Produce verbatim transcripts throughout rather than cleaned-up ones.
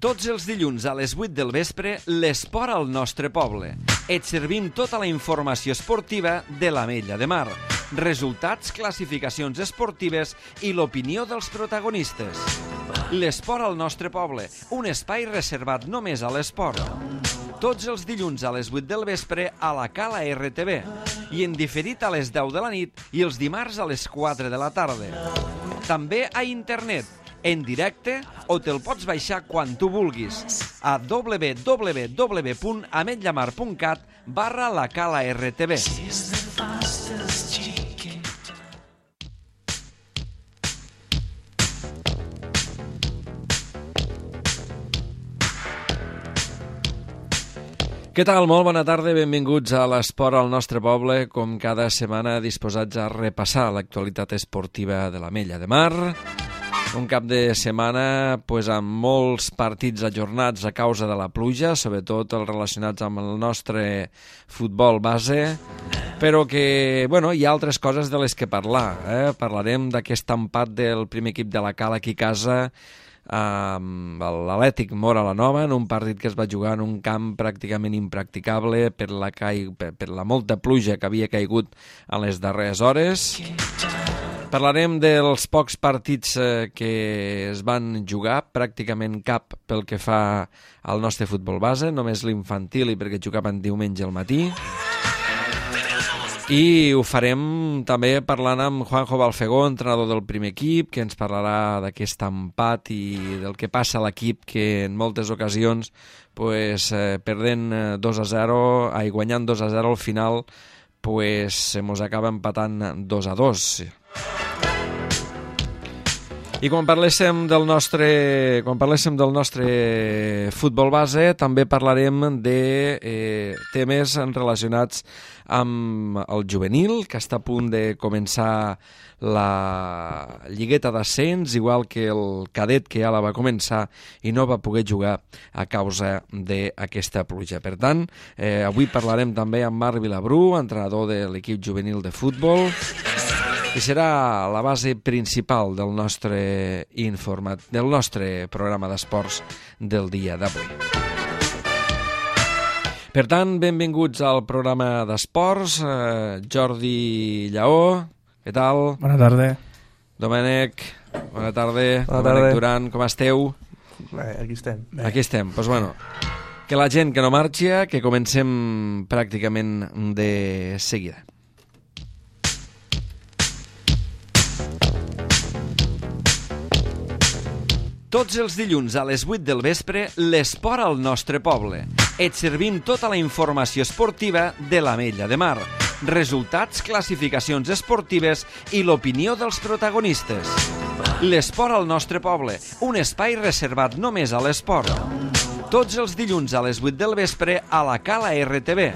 Tots els dilluns a les vuit del vespre, l'esport al nostre poble. Et servim tota la informació esportiva de l'Ametlla de Mar. Resultats, classificacions esportives i l'opinió dels protagonistes. L'esport al nostre poble, un espai reservat només a l'esport. Tots els dilluns a les vuit del vespre a la Cala R T V i en diferit a les deu de la nit i els dimarts a les quatre de la tarda. També a internet, en directe, o te'l pots baixar quan tu vulguis a w w w punt ametllamar punt cat barra la Cala R T V. Què tal? Molt bona tarda, benvinguts a l'Esport al nostre poble, com cada setmana disposats a repassar l'actualitat esportiva de l'Ametlla de Mar. Un cap de setmana pues, amb molts partits ajornats a causa de la pluja, sobretot els relacionats amb el nostre futbol base, però que bueno, hi ha altres coses de les que parlar. Eh? Parlarem d'aquest empat del primer equip de la Cala aquí a casa, amb l'Atlètic Móra la Nova, en un partit que es va jugar en un camp pràcticament impracticable per la, ca... per la molta pluja que havia caigut en les darreres hores. Parlarem dels pocs partits que es van jugar, pràcticament cap pel que fa al nostre futbol base, només l'infantil i perquè jugaven diumenge al matí. I ho farem també parlant amb Juanjo Balfegó, entrenador del primer equip, que ens parlarà d'aquest empat i del que passa a l'equip, que en moltes ocasions, pues, eh, perdent dos a zero, ai, guanyant dos a zero al final, pues, se mos acaba empatant dos a dos. I quan parléssim del nostre, quan parléssim del nostre futbol base, també parlarem de eh, temes relacionats amb el juvenil, que està a punt de començar la lligueta d'ascens, igual que el cadet que ja la va començar i no va poder jugar a causa d'aquesta pluja. Per tant, eh, avui parlarem també amb Marc Vilabrú, entrenador de l'equip juvenil de futbol, i serà la base principal del nostre informat, del nostre programa d'esports del dia d'avui. Per tant, benvinguts al programa d'esports. Eh, Jordi Lleó, què tal? Bona tarda. Domènec, bona tarda. Bona Domènec tarda. Duran, com esteu? Bé, aquí estem. Bé. Aquí estem, doncs bueno, que la gent que no marxi, que comencem pràcticament de seguida. Tots els dilluns a les vuit del vespre, l'esport al nostre poble. Et servim tota la informació esportiva de l'Ametlla de Mar. Resultats, classificacions esportives i l'opinió dels protagonistes. L'esport al nostre poble, un espai reservat només a l'esport. Tots els dilluns a les vuit del vespre a la Cala R T V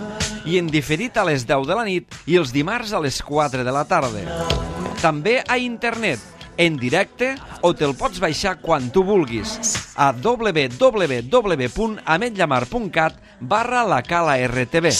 i en diferit a les deu de la nit i els dimarts a les quatre de la tarda. També a internet, en directe, o te'l pots baixar quan tu vulguis a w w w punt ametllamar punt cat barra la Cala R T V.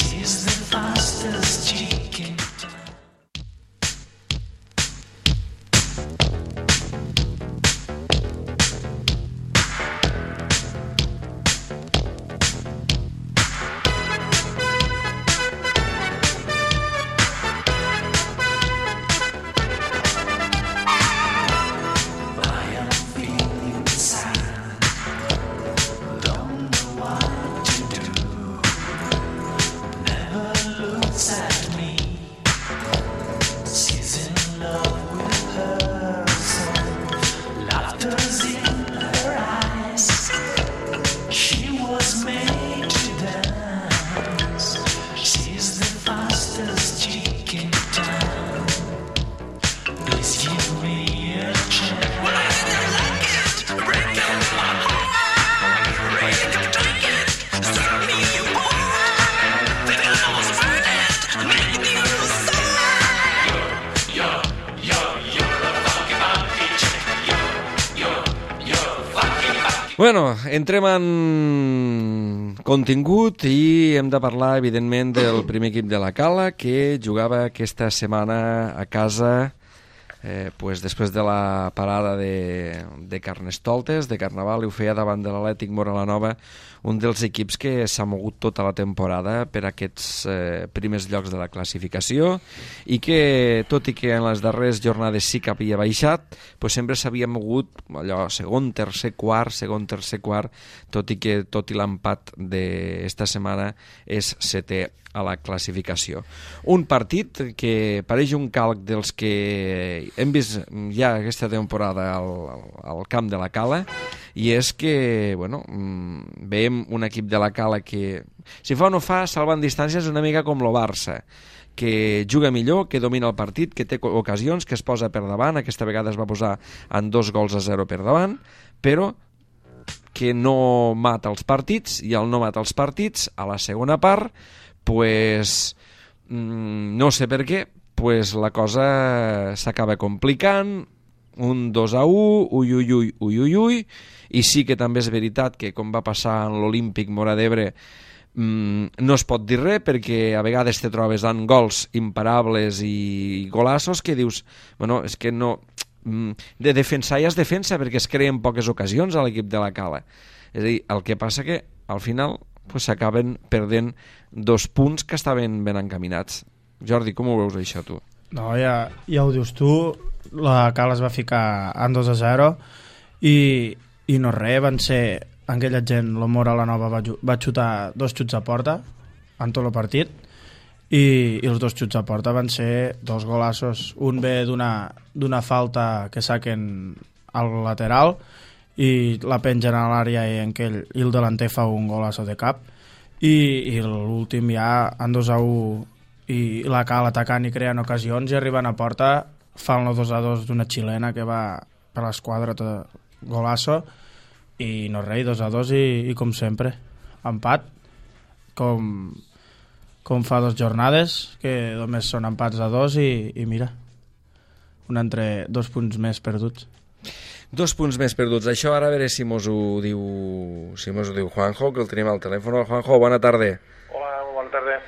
Bueno, entrem en contingut i hem de parlar, evidentment, del primer equip de la Cala, que jugava aquesta setmana a casa eh, pues després de la parada de, de Carnestoltes, de Carnaval, i ho feia davant de l'Atlètic Móra-la-Nova, un dels equips que s'ha mogut tota la temporada per aquests eh, primers llocs de la classificació i que, tot i que en les darreres jornades sí que havia baixat, pues sempre s'havia mogut allò segon, tercer, quart, segon, tercer, quart, tot i que tot i l'empat d'esta setmana és setè a la classificació. Un partit que pareix un calc dels que hem vist ja aquesta temporada al, al camp de la Cala, i és que, bueno, veiem un equip de la Cala que, si fa o no fa, salvant distàncies una mica com el Barça, que juga millor, que domina el partit, que té ocasions, que es posa per davant, aquesta vegada es va posar en dos gols a zero per davant, però que no mata els partits, i al no matar els partits, a la segona part, pues, mmm, no sé per què, pues la cosa s'acaba complicant, un dos a u, ui, ui, ui, ui, ui, ui, i sí que també és veritat que, com va passar en l'Olímpic Móra d'Ebre, mmm, no es pot dir res, perquè a vegades te trobes en gols imparables i golassos que dius, bueno, és que no... de defensar ja es defensa, perquè es creen poques ocasions a l'equip de la Cala. És a dir, el que passa que al final pues, s'acaben perdent dos punts que estaven ben encaminats. Jordi, com ho veus això tu? No, ja, ja ho dius tu, la Cala es va ficar en dos a zero i, i no res, van ser aquella gent, la Móra-la-Nova va, va xutar dos xuts a porta en tot el partit, i, i els dos xuts a porta van ser dos golassos. Un ve d'una d'una falta que saquen al lateral i la pengen a l'àrea i, en aquell, i el delanter fa un golasso de cap, i, i l'últim ja en dos a u, i la Cala atacant i creant ocasions, i arribant a porta fan el dos a dos d'una xilena que va per l'esquadra, golasso, i no res, dos a dos, i, i com sempre empat, com com fa dues jornades, que només són empats a dos, i, i mira, un entre dos punts més perduts. Dos punts més perduts. Això ara a veure si mos ho diu, si mos ho diu Juanjo, que el tenim al telèfon. Juanjo, bona tarda. Hola, bona tarda.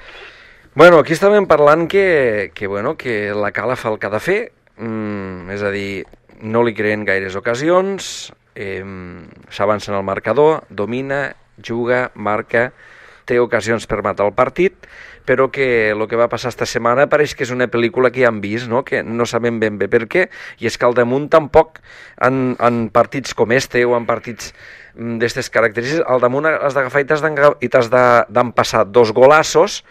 Bueno, aquí estàvem parlant que, que, bueno, que la Cala fa el que ha de fer, mm, és a dir, no li creen gaires ocasions, eh, s'avança en el marcador, domina, juga, marca, té ocasions per matar el partit, però que el que va passar esta setmana pareix que és una pel·lícula que ja hem vist, no? Que no sabem ben bé per què, i és que al damunt tampoc, en, en partits com este o en partits d'aquestes característiques, al damunt has d'agafar i t'has d'empassar dos golassos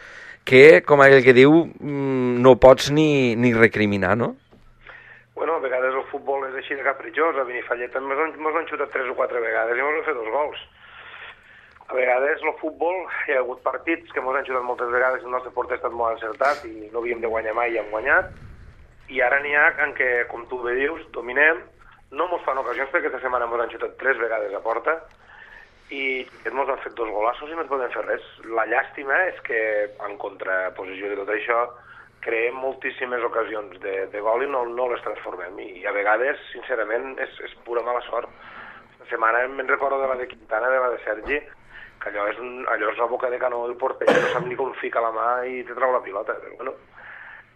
que, com aquell que diu, no pots ni, ni recriminar, no? Bueno, a vegades el futbol és així de capritxós, a Benifallet ens han xutat tres o quatre vegades i ens han fet dos gols. A vegades el futbol, hi ha hagut partits que ens han xutat moltes vegades, el nostre porter ha estat molt encertat i no havíem de guanyar mai i hem guanyat, i ara n'hi ha en què, com tu bé dius, dominem, no ens fan ocasions perquè aquesta setmana ens han xutat tres vegades a porta i ens han fet dos golassos i no ens podem fer res. La llàstima és que, en contraposició de tot això, creem moltíssimes ocasions de, de gol i no, no les transformem, i a vegades, sincerament, és, és pura mala sort. Aquesta setmana me'n recordo de la de Quintana, de la de Sergi, que allò és, un, allò és la boca de canó del porter, no sap ni com fica la mà i te trau la pilota. Però, bueno,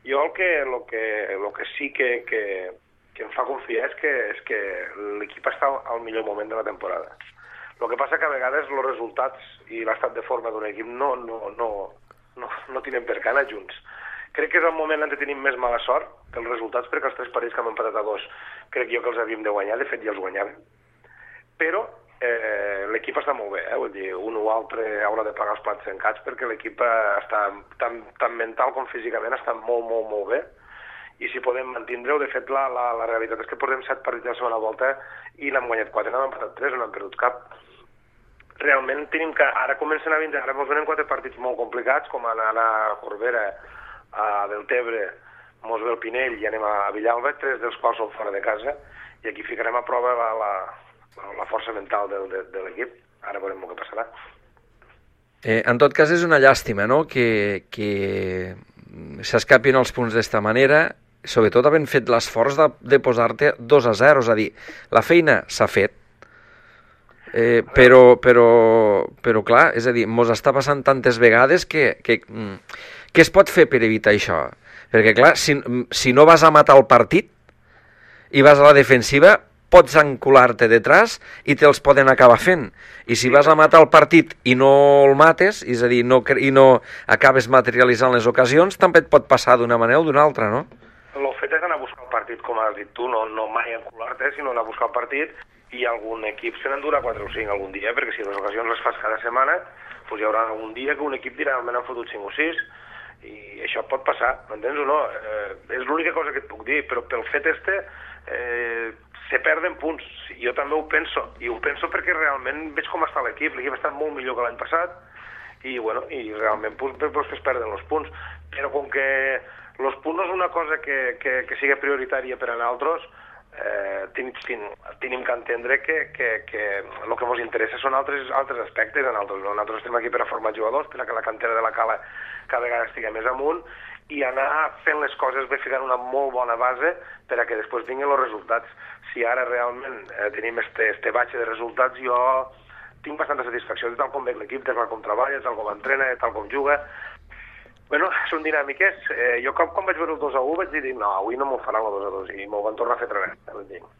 jo el que, el que, el que sí que, que, que em fa confiar és que, és que l'equip està al millor moment de la temporada. El que passa que a vegades els resultats i l'estat de forma d'un equip no, no, no, no, no tenen per què anar junts. Crec que és el moment en què tenim més mala sort que els resultats, perquè els tres partits que hem empatat a dos crec jo que els havíem de guanyar, de fet ja els guanyàvem. Però Eh, l'equip està molt bé, eh? Vull dir, un o altre haurà de pagar els plats trencats perquè l'equip està tant, tant mental com físicament està molt, molt, molt bé, i si podem mantindre-ho, de fet la, la, la realitat és que portem set partits a la segona volta i n'hem guanyat quatre, n'hem empatat tres, no hem perdut cap. Realment tenim que, ara comencen a vindre, ara ens venen quatre partits molt complicats, com anar a Corbera, a Deltebre, mos ve el Pinell i anem a Villalba, tres dels quals són fora de casa, i aquí ficarem a prova la, la la força mental de, de, de l'equip. Ara veurem el que passarà. Eh, en tot cas és una llàstima, no?, que, que s'escapin els punts d'esta manera, sobretot havent fet l'esforç de, de posar-te dos a zero, és a dir, la feina s'ha fet, eh, però, però, però clar, és a dir, mos està passant tantes vegades que, que, que es pot fer per evitar això? Perquè clar, si, si no vas a matar el partit, i vas a la defensiva, pots encular-te detrás i te'ls poden acabar fent. I si vas a matar el partit i no el mates, és a dir, no, i no acabes materialitzant les ocasions, també et pot passar d'una manera o d'una altra, no? El fet és anar a buscar el partit, com has dit tu, no, no mai encular-te, sinó anar a buscar el partit, i algun equip se n'endurà quatre o cinc algun dia, perquè si les ocasions les fas cada setmana, doncs hi haurà algun dia que un equip dirà almenys han fotut cinc o sis, i això pot passar, m'entens o no? Eh, és l'única cosa que et puc dir, però pel fet este eh, se perden punts. Jo també ho penso, i ho penso perquè realment veig com està l'equip, l'equip ha estat molt millor que l'any passat, i, bueno, i realment pues, pues, es perden els punts, però com que els punts no és una cosa que, que, que sigui prioritària per a nosaltres, eh, tenim, tenim que entendre que, que, que el que ens interessa són altres, altres aspectes. Nosaltres, nosaltres estem aquí per a formar jugadors, per a que la cantera de la Cala cada vegada estigui més amunt, i anar fent les coses bé, ficant una molt bona base per a que després vinguin els resultats. Si ara realment eh, tenim este, este batxe de resultats, jo tinc bastanta satisfacció de tal com veig l'equip, de tal com treballa, de tal com entrena, de tal com juga. Bueno, són dinàmiques. Eh, jo com, quan vaig veure el dos a u vaig dir, no, avui no m'ho faran el dos a dos, i m'ho van tornar a fer altra vegada.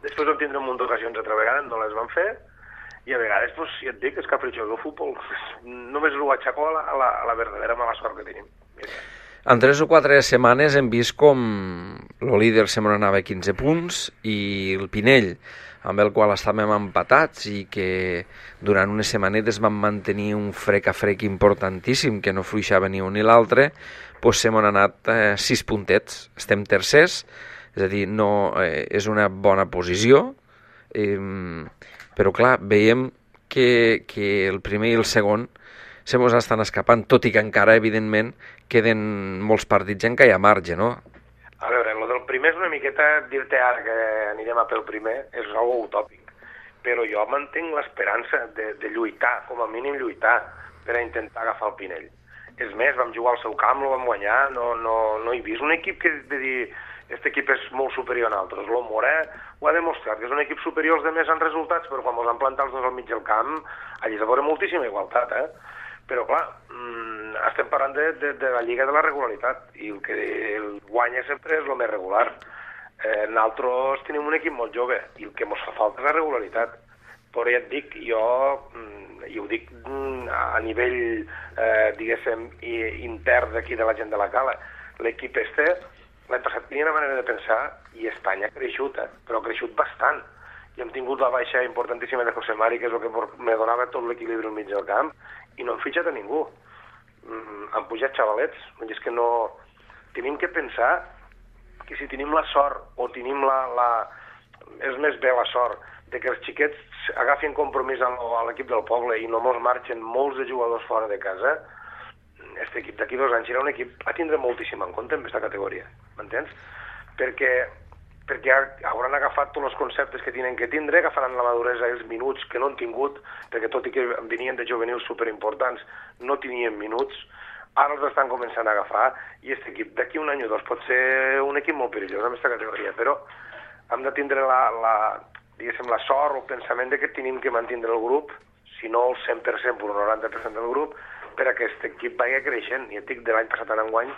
Després vam tindre un munt d'ocasions altra vegada, no les van fer, i a vegades, pues, ja et dic, és capritxós el futbol. Només ho aixeco a la, a la, a la verdadera mala sort que tenim. En tres o quatre setmanes hem vist com el líder se m'anava a quinze punts i el Pinell, amb el qual estàvem empatats i que durant unes setmanetes vam mantenir un frec a frec importantíssim, que no fluixava ni un ni l'altre, doncs se m'han anat eh, sis puntets. Estem tercers, és a dir, no, eh, és una bona posició, eh, però clar, veiem que, que el primer i el segon se mos estan escapant, tot i que encara, evidentment, queden molts partits en què hi ha marge, no? A veure, el del primer és una miqueta, dir-te ara que anirem a pel primer, és algo utòpic, però jo mantenc l'esperança de, de lluitar, com a mínim lluitar, per a intentar agafar el Pinell. És més, vam jugar al seu camp, el vam guanyar, no, no, no he vist un equip que de dir, aquest equip és molt superior a nosaltres. El Morà ho ha demostrat, que és un equip superior als demés en resultats, però quan ens han plantat els dos al mig del camp, allí s'ha veure moltíssima igualtat, eh? Però, clar, mmm, estem parlant de, de, de la lliga de la regularitat, i el que el guanya sempre és el més regular. Eh, nosaltres tenim un equip molt jove, i el que ens fa falta és la regularitat. Però ja et dic, jo, mm, i ho dic mm, a nivell, eh, diguéssim, intern d'aquí de la gent de la Cala, l'equip este, l'any passat tenia una manera de pensar, i Espanya ha creixut, eh? Però ha creixut bastant. I hem tingut la baixa importantíssima de José Mari, que és el que me donava tot l'equilibri al mig del camp, i no hem fitxat a ningú. Mm, han pujat xavalets. És que no... Tenim que pensar que si tenim la sort, o tenim la... la... és més bé la sort, de que els xiquets agafin compromís a l'equip del poble i no mos marxen molts de jugadors fora de casa, aquest equip d'aquí dos anys serà un equip a tindre moltíssim en compte en aquesta categoria, m'entens? Perquè perquè hauran agafat tots els conceptes que tenen que tindre, agafaran la maduresa i els minuts que no han tingut, perquè tot i que venien de juvenils superimportants, no tenien minuts, ara els estan començant a agafar, i aquest equip d'aquí un any o dos pot ser un equip molt perillós en aquesta categoria, però hem de tindre la, la, diguéssim, la sort o el pensament de que tenim que mantindre el grup, si no el cent per cent, però el noranta per cent del grup, per a que aquest equip vagi creixent. I et dic, de l'any passat en enguany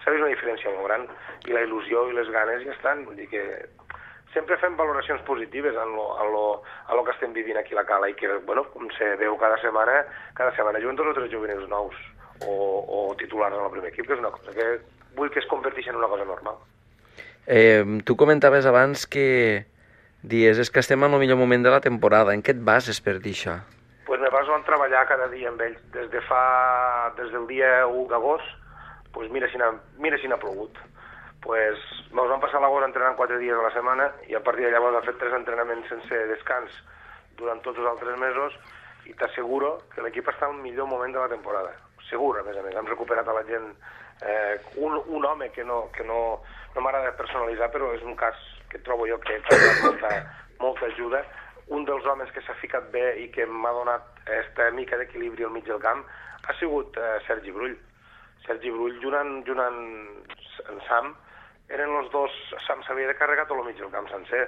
s'ha vist una diferència molt gran, i la il·lusió i les ganes ja estan. Vull dir que sempre fem valoracions positives en lo, en lo, en lo que estem vivint aquí a la Cala, i que, bueno, com se veu cada setmana, cada setmana juguen dos o tres juvenils nous, o, o titulars en el primer equip, que és una cosa que vull que es converteixi en una cosa normal. Eh, tu comentaves abans que dies és que estem en el millor moment de la temporada. En què et bases per dir això? Pues me baso en treballar cada dia amb ells. Des de fa, des del dia u d'agost, pues mira si n'ha, mira si n'ha plogut. Pues ens vam passar l'agost entrenant quatre dies a la setmana, i a partir de llavors hem fet tres entrenaments sense descans durant tots els altres mesos, i t'asseguro que l'equip està en el millor moment de la temporada. Segur, a més a més. Hem recuperat a la gent, eh, un, un home que no, que no, no m'agrada personalitzar, però és un cas que trobo jo que ha donat molta, molta ajuda. Un dels homes que s'ha ficat bé i que m'ha donat aquesta mica d'equilibri al mig del camp ha sigut eh, Sergi Brull. Sergi Brull, junant, junant en Sam, eren els dos... Sam s'havia de carregar tot el mig del camp sencer,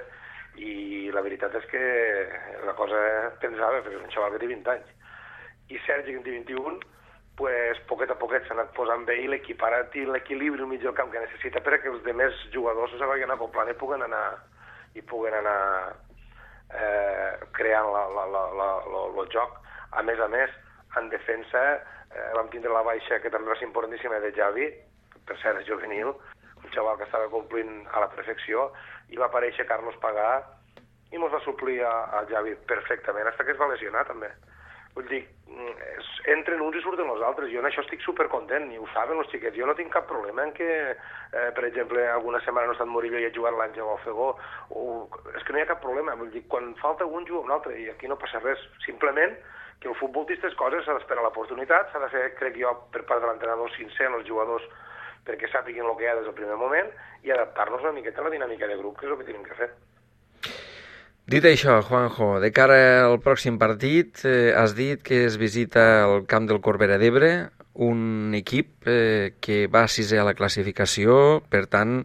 i la veritat és que la cosa pensava, perquè és un xaval que té vint anys, i Sergi, que en té vint-i-un, pues, poquet a poquet s'ha anat posant bé i l'equiparat i l'equilibri al mig del camp que necessita perquè els demés jugadors se vagin acoplant i puguen anar, i puguen anar eh, creant la, la, la, la, la, el joc. A més a més, en defensa eh, vam tindre la baixa, que també va ser importantíssima, de Javi, per cert, és juvenil, un xaval que estava complint a la perfecció, i va aparèixer Carlos Pagà i mos va suplir a, a Javi perfectament, fins que es va lesionar també. Vull dir, entren uns i surten els altres. Jo en això estic supercontent, i ho saben els xiquets. Jo no tinc cap problema en que, eh, per exemple, alguna setmana no ha estat Murillo i ha jugat l'Àngel o el Fegó. O... És que no hi ha cap problema. Vull dir, quan falta un, juga un altre, i aquí no passa res. Simplement que el futbol d'aquestes coses s'ha d'esperar l'oportunitat, s'ha de fer, crec jo, per part de l'entrenador sincer als jugadors perquè sàpiguin el que hi ha des del primer moment i adaptar-nos una miqueta a la dinàmica de grup, que és el que tenim que fer. Dit això, Juanjo, de cara al pròxim partit, eh, has dit que es visita el camp del Corbera d'Ebre, un equip eh, que va sisè a la classificació, per tant,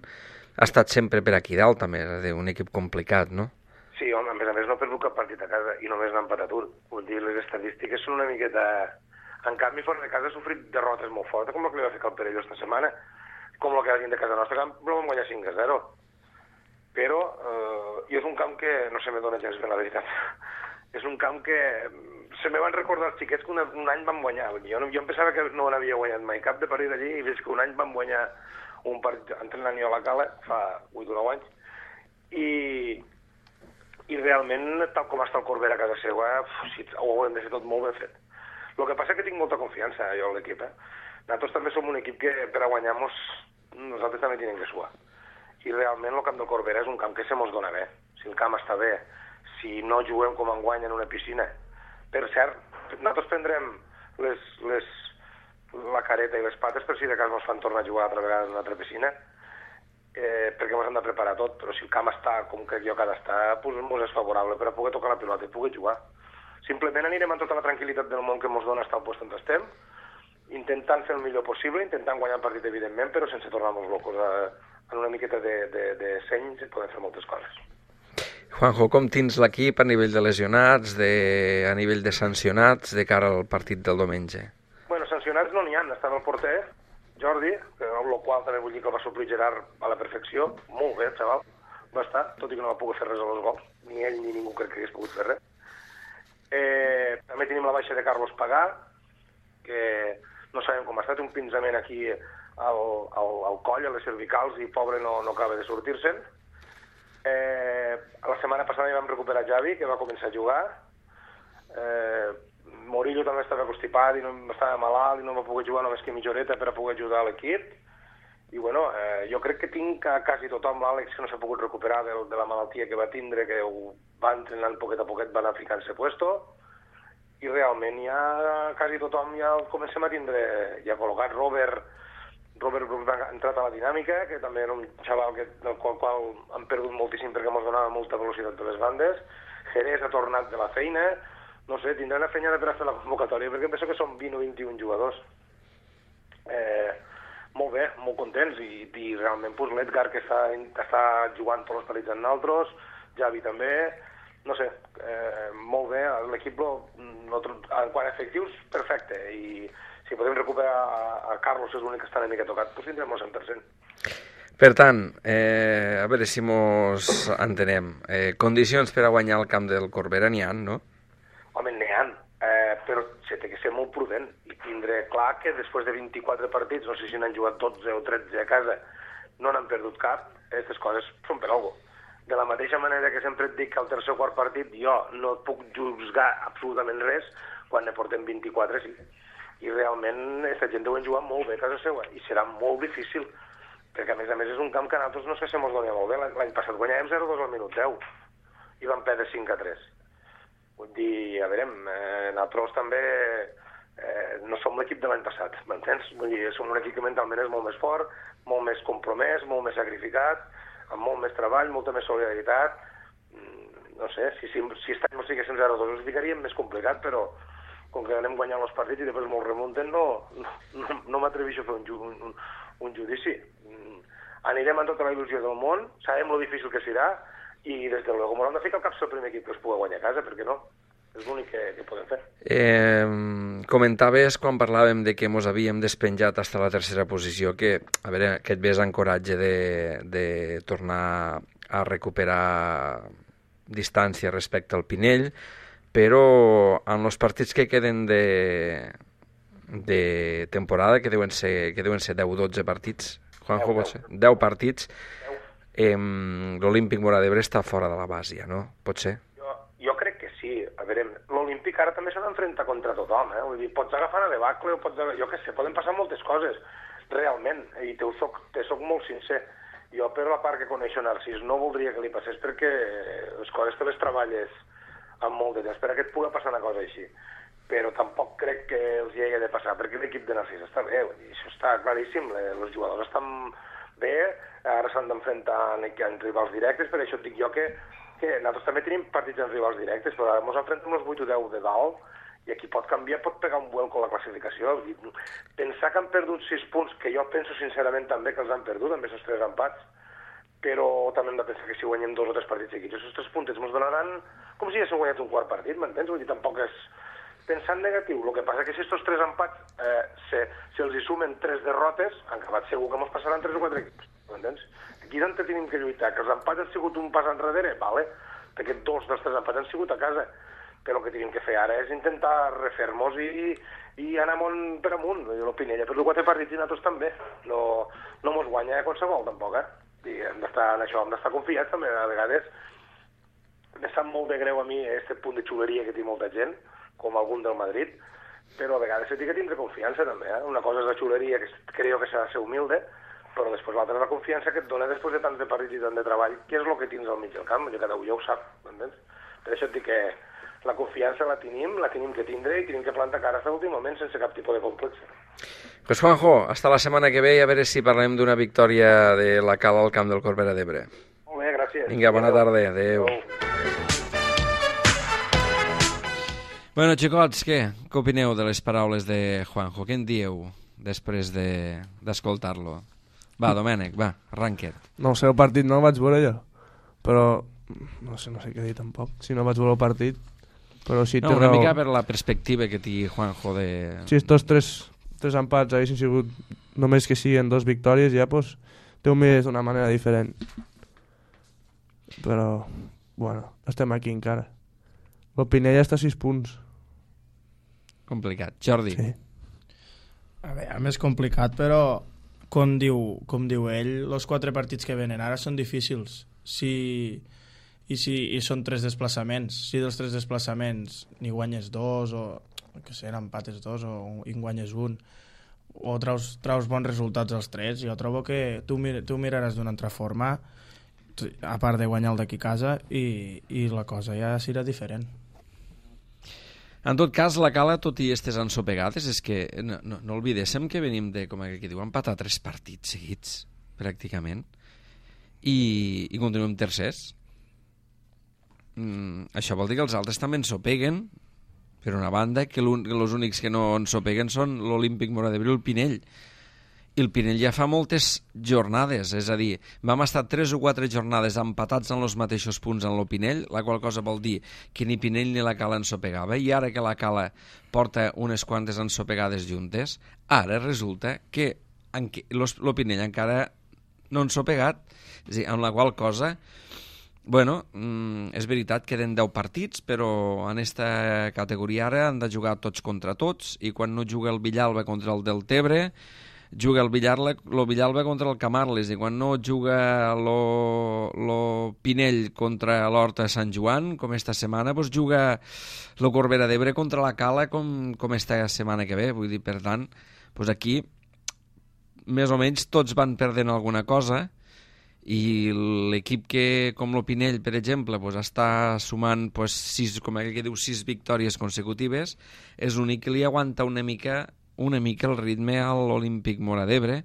ha estat sempre per aquí dalt, també, és a dir, un equip complicat, no? Sí, home, a més a més no ha perdut cap partit a casa i només n'ha empatat un. Vull dir, les estadístiques són una miqueta... En canvi, fora de casa ha sofrit derrotes molt fortes, com el que li va fer el Perelló esta setmana, com el que ha de casa nostra, que no vam guanyar cinc a zero. Però eh, i és un camp que no se me dona gens bé, la veritat. És un camp que se me van recordar els xiquets que un, un any van guanyar. Jo, no, jo em pensava que no n'havia guanyat mai cap de partit allí, i veig que un any van guanyar un partit entrenant jo a la Cala, fa vuit o nou anys, i, i realment, tal com està el Corbera a casa seva, si, ho haurem de fer tot molt ben fet. El que passa és que tinc molta confiança, jo, en l'equip. Eh? Nosaltres també som un equip que per a guanyar-nos nosaltres també tenim que suar. I realment el camp del Corbera és un camp que se mos dona bé. Si el camp està bé, si no juguem com enguany en una piscina. Per cert, nosaltres prendrem les, les, la careta i les pates per si de cas ens fan tornar a jugar altra vegada en una altra piscina, eh, perquè ens hem de preparar tot, però si el camp està com crec jo que ha d'estar, doncs ens és favorable per a poder tocar la pilota i poder jugar. Simplement anirem amb tota la tranquil·litat del món que ens dona estar al lloc on estem, intentant fer el millor possible, intentant guanyar el partit, evidentment, però sense tornar-nos locos a en una miqueta de, de, de seny podem fer moltes coses. Juanjo, com tens l'equip a nivell de lesionats, de, a nivell de sancionats, de cara al partit del diumenge? Bueno, sancionats no n'hi ha. Estava el porter, Jordi, que, amb el qual també vull dir que el va suplir Gerard a la perfecció. Molt bé, xaval. Va estar, tot i que no va poder fer res a los gols. Ni ell ni ningú crec que hagués pogut fer res. Eh, també tenim la baixa de Carlos Pagà, que no sabem com ha estat, un pinzament aquí al, al, al coll, a les cervicals, i pobre no, no acaba de sortir-se'n. Eh, la setmana passada ja vam recuperar Javi, que va començar a jugar. Eh, Murillo també estava constipat i no estava malalt i no va poder jugar només que mitja horeta per a poder ajudar a l'equip. I bueno, eh, jo crec que tinc a quasi tothom, l'Àlex, que no s'ha pogut recuperar de, de la malaltia que va tindre, que ho va entrenant poquet a poquet, va anar ficant-se puesto, i realment ja quasi tothom ja el comencem a tindre ja col·locat. Robert Robert Brooks ha entrat a la dinàmica, que també era un xaval que, del qual, qual han perdut moltíssim perquè ens donava molta velocitat de les bandes. Jerez ha tornat de la feina, no sé, tindrà una feina per a fer la convocatòria, perquè penso que són vint o vint-i-un jugadors. Eh, molt bé, molt contents, i, i realment pues, l'Edgar, que està, està jugant tots els partits amb nosaltres, Javi també, no sé, eh, molt bé, l'equip, en quant a efectius, perfecte, i si podem recuperar a Carlos, és l'únic que està una mica tocat, doncs tindrem el cent per cent. Per tant, eh, a veure si mos entenem. Eh, condicions per a guanyar el camp del Corbera n'hi ha, no? Home, n'hi ha, eh, però se té que ser molt prudent i tindre clar que després de vint-i-quatre partits, no sé si n'han jugat dotze o tretze a casa, no n'han perdut cap, aquestes coses són per alguna cosa. De la mateixa manera que sempre et dic que al tercer o quart partit jo no et puc juzgar absolutament res, quan ne portem vint-i-quatre, sí. I realment aquesta gent deuen jugar molt bé a casa seva, i serà molt difícil, perquè a més a més és un camp que a nosaltres no sé si ens donia molt bé. L'any passat guanyàvem zero dos al minut deu, i vam perdre cinc a tres. Vull dir, a veure, eh, nosaltres també eh, no som l'equip de l'any passat, m'entens? Vull dir, som un equip que mentalment és molt més fort, molt més compromès, molt més sacrificat, amb molt més treball, molta més solidaritat. No sé, si, si, si aquest any no siguéssim zero dos us ficaríem més complicat, però com que anem guanyant els partits i després molt remunten, no, no, no m'atreveixo a fer un, ju, un, un judici. Anirem amb tota la il·lusió del món, sabem lo difícil que serà, i des de luego m'haurem de ficar al cap el primer equip que es pugui guanyar a casa, per què no? És l'únic que, que podem fer. Eh, comentaves quan parlàvem de que mos havíem despenjat fins a la tercera posició que, a veure, que et ves encoratge de, de tornar a recuperar distància respecte al Pinell, però en els partits que queden de, de temporada, que deuen ser, que deuen ser deu o dotze partits, Juanjo, pot ser? deu partits, eh, l'Olímpic Móra d'Ebre està fora de la base, ja, no? Pot ser? Jo, jo crec que sí. A veure, l'Olímpic ara també s'ha d'enfrontar contra tothom, eh? Vull dir, pots agafar a debacle o pots... Jo què sé, poden passar moltes coses, realment, i te soc, te soc molt sincer. Jo, per la part que coneixo Narcís, no voldria que li passés perquè les coses te les treballes amb molt de temps, per a que et pugui passar una cosa així. Però tampoc crec que els hi hagi de passar, perquè l'equip de Narcís està bé, vull dir, això està claríssim, els jugadors estan bé, ara s'han d'enfrontar en rivals directes, per això et dic jo que, que nosaltres també tenim partits en rivals directes, però ara ens enfrontem els vuit o deu de dalt, i aquí pot canviar, pot pegar un vuelco a la classificació. Pensar que han perdut sis punts, que jo penso sincerament també que els han perdut, amb aquests tres empats, però també hem de pensar que si guanyem dos o tres partits seguits, aquests tres puntets ens donaran com si haguéssim guanyat un quart partit, m'entens? Vull dir, tampoc és pensar en negatiu. El que passa que si aquests tres empats, eh, si, si els hi sumen tres derrotes, han acabat segur que ens passaran tres o quatre equips, m'entens? Aquí és on tenim que lluitar, que els empats han sigut un pas enrere, vale, perquè dos dels tres empats han sigut a casa, però el que tenim que fer ara és intentar refer-nos i, i anar amunt per amunt. L'Opinella per quatre partits i nosaltres també. No, no mos guanya qualsevol, tampoc, eh? I hem d'estar en això, hem d'estar confiats també, a vegades. Me sap molt de greu a mi aquest punt de xuleria que té molta gent, com algun del Madrid, però a vegades s'ha de tindre confiança també, eh? Una cosa és la xuleria, que creo que s'ha de ser humilde, però després l'altra és la confiança que et dona després de tants de partits i tant de treball, que és el que tens al mig del camp, cada un ja ho sap, m'entens? Per això et dic que la confiança la tenim, la tenim que tindre i tenim que plantar cara fins a l'últim moment sense cap tipus de complex. Pues Juanjo, hasta la setmana que ve i a veure si parlem d'una victòria de la Cala al camp del Corbera d'Ebre. Molt bé, gràcies. Vinga, bona tarda, adeu. Bueno, xicots, què? Què opineu de les paraules de Juanjo? Què en dieu després d'escoltar-lo? Va, Domènec, va, arranca't. No sé, el partit no el vaig veure jo, però no sé, no sé què dir tampoc. Si no vaig veure el partit, però sí té no, una raó. mica per la perspectiva que té Juanjo de... Si estos tres, tres empats haguessin sigut només que siguin dos victòries, ja pues, té un mes d'una manera diferent. Però, bueno, estem aquí encara. El Pinell està a sis punts. Complicat. Jordi. Sí. A veure, més complicat, però com diu, com diu ell, els quatre partits que venen ara són difícils. Si, i, si, I són tres desplaçaments. Si dels tres desplaçaments ni guanyes dos, o que sé, empates dos, o en guanyes un, o traus, traus bons resultats als tres, jo trobo que tu, mir, tu miraràs d'una altra forma, a part de guanyar el d'aquí a casa, i, i la cosa ja serà diferent. En tot cas, la Cala, tot i estes ensopegades, és que no, no, no oblidéssim que venim de, com que diu, empatar tres partits seguits, pràcticament, i, i continuem tercers. Mm, això vol dir que els altres també ensopeguen, per una banda, que els únics que no ensopeguen són l'Olímpic Móra d'Ebre i el Pinell. I el Pinell ja fa moltes jornades, és a dir, vam estar tres o quatre jornades empatats en els mateixos punts en el Pinell, la qual cosa vol dir que ni Pinell ni la Cala ensopegava, i ara que la Cala porta unes quantes ensopegades juntes, ara resulta que el Pinell encara no ha ensopegat, és a dir, amb la qual cosa, bueno, és veritat, queden deu partits, però en aquesta categoria ara han de jugar tots contra tots, i quan no juga el Villalba contra el Deltebre, juga el Villalba, lo Villalba contra el Camarles, i quan no juga lo, lo Pinell contra l'Horta Sant Joan, com esta setmana, doncs juga lo Corbera d'Ebre contra la Cala com, com esta setmana que ve. Vull dir, per tant, doncs aquí més o menys tots van perdent alguna cosa, i l'equip que, com lo Pinell, per exemple, doncs està sumant doncs, sis, com que diu, sis victòries consecutives, és l'únic que li aguanta una mica una mica el ritme a l'Olímpic Móra d'Ebre,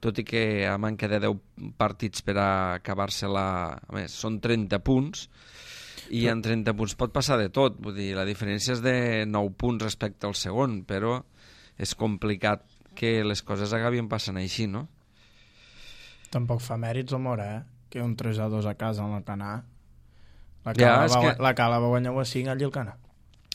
tot i que a manca de deu partits per a acabar-se la... A més, són trenta punts, i en trenta punts pot passar de tot, vull dir, la diferència és de nou punts respecte al segon, però és complicat que les coses acabin passant així, no? Tampoc fa mèrits el Móra, eh? Que un tres a dos a casa en el Canà. La Cala, ja, va, que... la Cala va guanyar a cinc allí al Canà.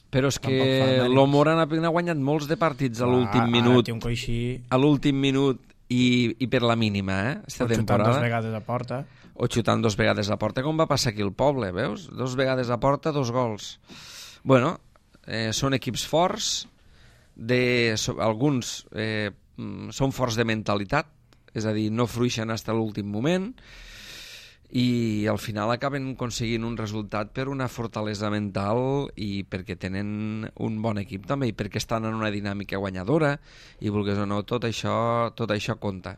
Però és que Tampoc fa mèrits. l'Omora n'ha guanyat molts de partits a l'últim Ara minut. té un coixí, A l'últim minut i, i per la mínima, eh? Esta pot xutar temporada. dues vegades a porta. O xutant dos vegades a porta, com va passar aquí al poble, veus? Dos vegades a porta, dos gols. Bueno, eh, són equips forts, de, so, alguns eh, mm, són forts de mentalitat, és a dir, no fruixen fins a l'últim moment, i al final acaben aconseguint un resultat per una fortalesa mental i perquè tenen un bon equip també i perquè estan en una dinàmica guanyadora i vulguis o no, tot això, tot això compta.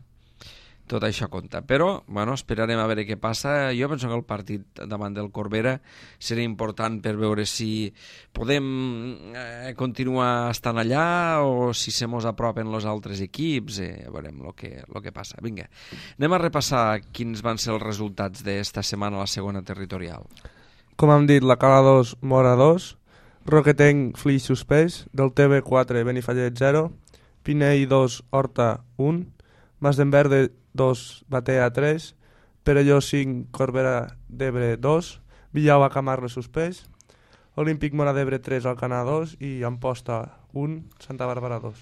Tot això compta. Però, bueno, esperarem a veure què passa. Jo penso que el partit davant del Corbera serà important per veure si podem eh, continuar estant allà o si se mos apropen els altres equips. Eh, veurem el que, lo que passa. Vinga, anem a repassar quins van ser els resultats d'esta setmana a la segona territorial. Com hem dit, la Cala dos, Mora dos, Roquetenc, Flix suspès, del T B quatre, Benifallet zero, Pinell dos, Horta un, Mas d'Enverde dos, Batea tres, Perelló cinc, Corbera d'Ebre dos, Villaua Camarle suspès, Olímpic Mora d'Ebre tres, Alcanar dos i Amposta un, Santa Bàrbara dos.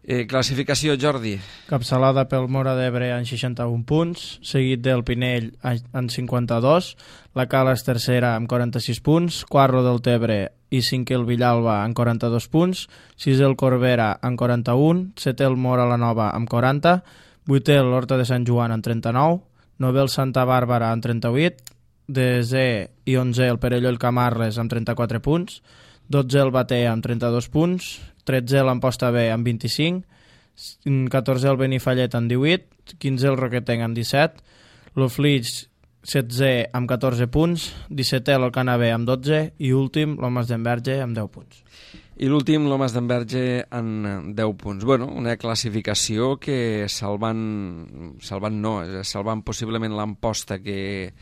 Eh, classificació, Jordi. Capçalada pel Mora d'Ebre en seixanta-un punts, seguit del Pinell en cinquanta-dos, la Cala és tercera amb quaranta-sis punts, quart del Tebre i cinquè el Villalba amb quaranta-dos punts, sisè el Corbera amb quaranta-un, setè el Mora la Nova amb quaranta, vuitè l'Horta de Sant Joan amb trenta-nou, novè el Santa Bàrbara amb trenta-vuit, desè i onzè el Perelló i el Camarles amb trenta-quatre punts, dotzè el Batea amb trenta-dos punts, tretzè l'Amposta B amb vint-i-cinc, catorzè el Benifallet amb divuit, quinzè el Roquetenc amb disset, el Flix setzè amb catorze punts, dissetè l'Alcanar B amb dotze i últim l'Homes d'Enverge amb deu punts. I l'últim, l'Homes d'Enverge, en deu punts. Bueno, una classificació que salvant, salvant no, salvant possiblement l'Amposta, que,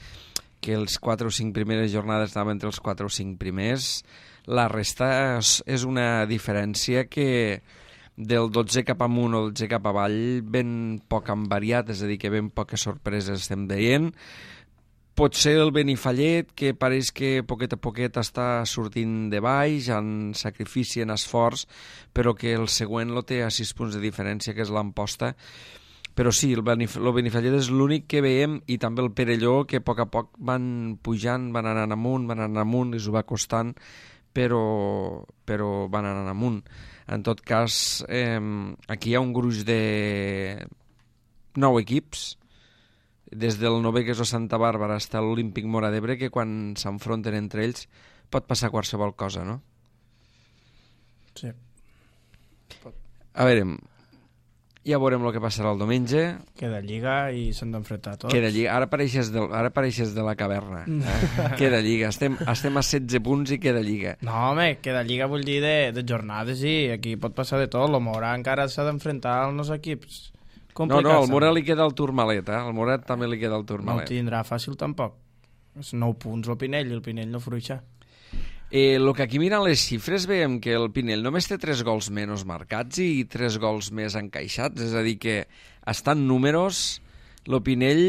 que els quatre o cinc primeres jornades estaven entre els quatre o cinc primers, la resta és, és una diferència que del dotze cap amunt o dotze cap avall ben poc han variat, és a dir, que ben poques sorpreses estem veient. Potser el Benifallet, que pareix que poquet a poquet està sortint de baix, en sacrifici, en esforç, però que el següent lo té a sis punts de diferència, que és l'Amposta. Però sí, el, Benif el Benifallet és l'únic que veiem, i també el Perelló, que a poc a poc van pujant, van anant amunt, van anant amunt, i s'ho va costant, però, però van anant amunt. En tot cas, eh, aquí hi ha un gruix de nou equips, des del novè, que és el Santa Bàrbara, fins a l'Olímpic Mora d'Ebre, que quan s'enfronten entre ells pot passar qualsevol cosa, no? Sí. A veure, ja veurem el que passarà el diumenge. Queda Lliga i s'han d'enfrontar tots. Queda Lliga. Ara apareixes, del, ara apareixes de la caverna. Eh? Queda Lliga. Estem, estem a setze punts i queda Lliga. No, home, queda Lliga vull dir de, de jornades i aquí pot passar de tot. El Mora encara s'ha d'enfrontar als nous equips. No, no, al Morat li queda el Tourmalet, eh? Al Morat també li queda el Tourmalet. No ho tindrà fàcil tampoc. És nou punts el Pinell i el Pinell no fruixa. Eh, el que aquí miren les xifres veiem que el Pinell només té tres gols menys marcats i tres gols més encaixats, és a dir que estan números el Pinell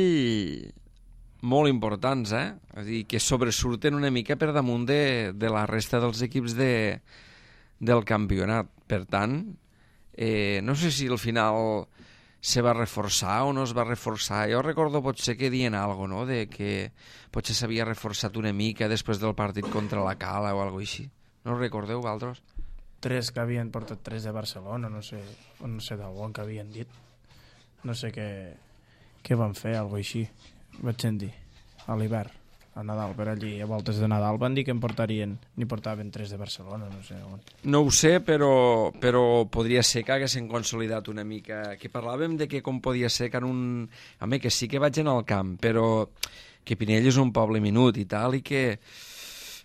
molt importants, eh? És a dir, que sobresurten una mica per damunt de, de la resta dels equips de, del campionat. Per tant, eh, no sé si al final se va reforçar o no es va reforçar. Jo recordo potser que dient alguna cosa, no? De que potser s'havia reforçat una mica després del partit contra la Cala o alguna cosa així. No ho recordeu, vosaltres? Tres que havien portat tres de Barcelona, no sé, no sé d'on que havien dit. No sé què, què van fer, alguna cosa així. Vaig sentir, a l'hivern, a Nadal, per allí, a voltes de Nadal, van dir que em portarien, ni portaven tres de Barcelona, no sé on. No ho sé, però, però podria ser que haguessin consolidat una mica, que parlàvem de que com podia ser que en un... Home, que sí que vaig anar al camp, però que Pinell és un poble minut i tal, i que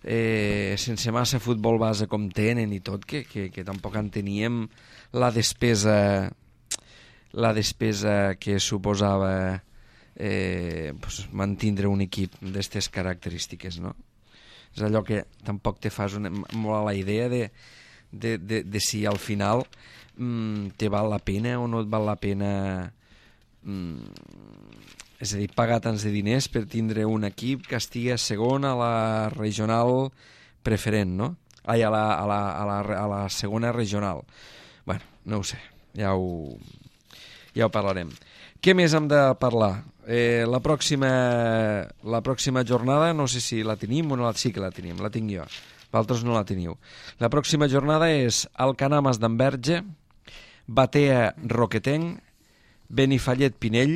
eh, sense massa futbol base com tenen i tot, que, que, que tampoc en teníem la despesa, la despesa que suposava eh, pues, mantindre un equip d'aquestes característiques, no? És allò que tampoc te fas una, molt a la idea de, de, de, de si al final mm, te val la pena o no et val la pena, mm, és a dir, pagar tants de diners per tindre un equip que estigui segon a la regional preferent, no? ai, a, la, a, la, a, la, a la segona regional. Bueno, no ho sé, ja ho, ja ho parlarem. Què més hem de parlar? Eh, la, pròxima, la pròxima jornada, no sé si la tenim o no, la, sí que la tenim, la tinc jo. Vosaltres no la teniu. La pròxima jornada és Alcanar-Mas d'Enverge, Batea Roquetenc, Benifallet Pinell,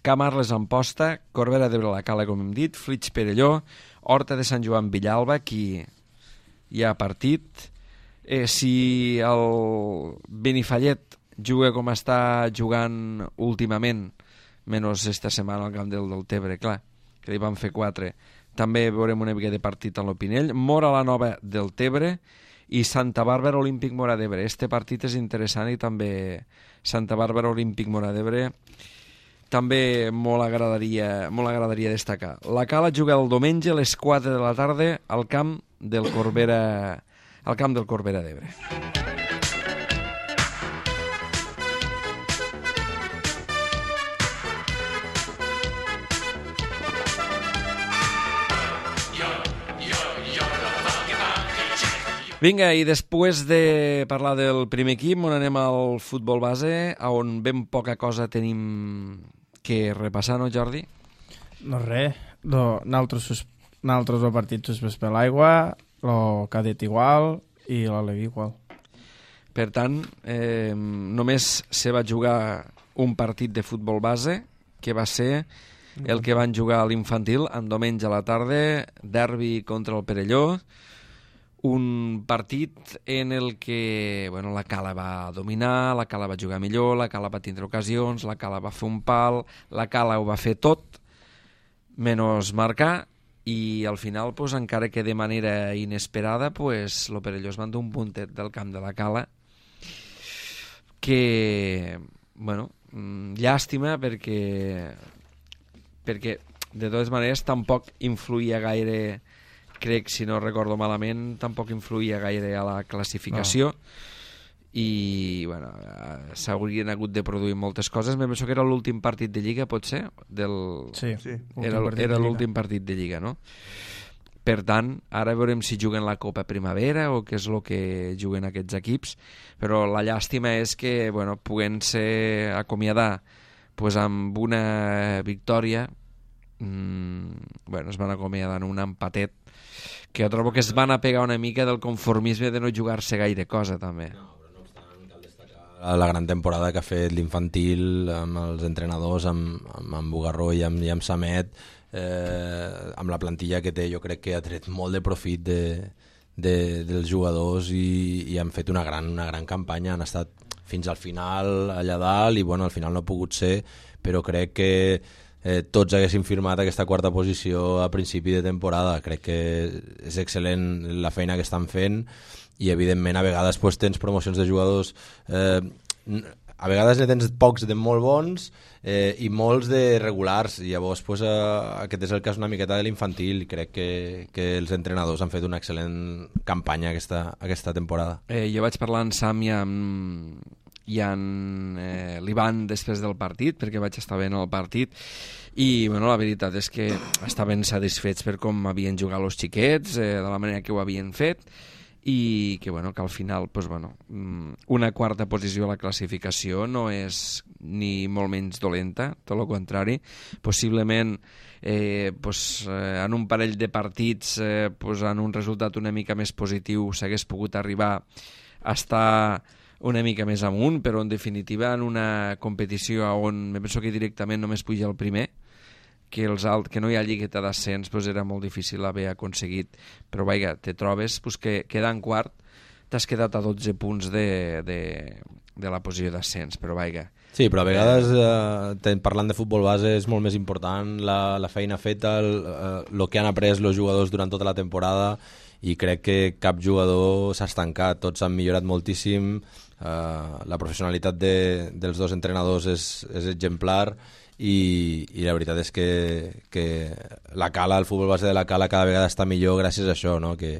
Camarles Amposta, Corbera d'Ebre la Cala, com hem dit, Flix Perelló, Horta de Sant Joan Villalba, aquí hi ha partit. Eh, si el Benifallet juga com està jugant últimament, menys esta setmana al camp del Deltebre, clar, que li van fer quatre, també veurem una mica de partit a l'Opinell. Mora la Nova del Tebre i Santa Bàrbara Olímpic Mora d'Ebre. Este partit és interessant i també Santa Bàrbara Olímpic Mora d'Ebre també molt agradaria, molt agradaria destacar. La Cala juga el diumenge a les quatre de la tarda al camp del Corbera, al camp del Corbera d'Ebre. Vinga, i després de parlar del primer equip, on anem al futbol base, on ben poca cosa tenim que repassar, no, Jordi? No res, no, nosaltres, nosaltres el partit suspès per l'aigua, el cadet igual i l'Alevi igual. Per tant, eh, només se va jugar un partit de futbol base, que va ser el que van jugar a l'infantil en diumenge a la tarda, derbi contra el Perelló, un partit en el que bueno, la Cala va dominar, la Cala va jugar millor, la Cala va tindre ocasions, la Cala va fer un pal, la Cala ho va fer tot, menys marcar, i al final, pues, encara que de manera inesperada, pues, el Perelló es va endur un puntet del camp de la Cala, que, bueno, llàstima perquè, perquè de totes maneres tampoc influïa gaire, crec, si no recordo malament, tampoc influïa gaire a la classificació. No. I, bueno, s'haurien hagut de produir moltes coses. Me penso que era l'últim partit de Lliga, pot ser? Del... Sí, sí. Era, era l'últim partit de Lliga, no? Per tant, ara veurem si juguen la Copa Primavera o què és el que juguen aquests equips, però la llàstima és que, bueno, puguent-se acomiadar pues, amb una victòria, mmm, bueno, es van acomiadar en un empatet, que jo trobo que es van a pegar una mica del conformisme de no jugar-se gaire cosa, també. No, però no obstant, cal destacar la gran temporada que ha fet l'infantil amb els entrenadors, amb, amb, amb Bugarró i amb, i amb Samet, eh, amb la plantilla que té. Jo crec que ha tret molt de profit de, de, dels jugadors i, i han fet una gran, una gran campanya. Han estat fins al final allà dalt i bueno, al final no ha pogut ser, però crec que Eh, tots haguessin firmat aquesta quarta posició a principi de temporada. Crec que és excel·lent la feina que estan fent i evidentment a vegades pues, tens promocions de jugadors, eh, a vegades ne tens pocs de molt bons eh, i molts de regulars, i llavors pues, eh, aquest és el cas una miqueta de l'infantil i crec que, que els entrenadors han fet una excel·lent campanya aquesta, aquesta temporada. Eh, jo vaig parlar amb Sam i amb i en eh, l'Ivan després del partit, perquè vaig estar veient el partit, i bueno, la veritat és que estaven satisfets per com havien jugat els xiquets, eh, de la manera que ho havien fet, i que, bueno, que al final pues, bueno, una quarta posició a la classificació no és ni molt menys dolenta, tot el contrari. Possiblement eh, pues, eh, en un parell de partits eh, pues, en un resultat una mica més positiu s'hagués pogut arribar a estar una mica més amunt, però en definitiva en una competició on me penso que directament només puja el primer, que, els alt, que no hi ha lligueta d'ascens, pues era molt difícil haver aconseguit, però vaja, te trobes pues, que quedant quart t'has quedat a dotze punts de, de, de la posició d'ascens, però vaja. Sí, però a vegades eh, parlant de futbol base és molt més important la, la feina feta, el, eh, el que han après els jugadors durant tota la temporada, i crec que cap jugador s'ha estancat, tots han millorat moltíssim. Uh, la professionalitat de, dels dos entrenadors és, és exemplar i, i la veritat és que, que la Cala, el futbol base de la Cala cada vegada està millor gràcies a això, no? que,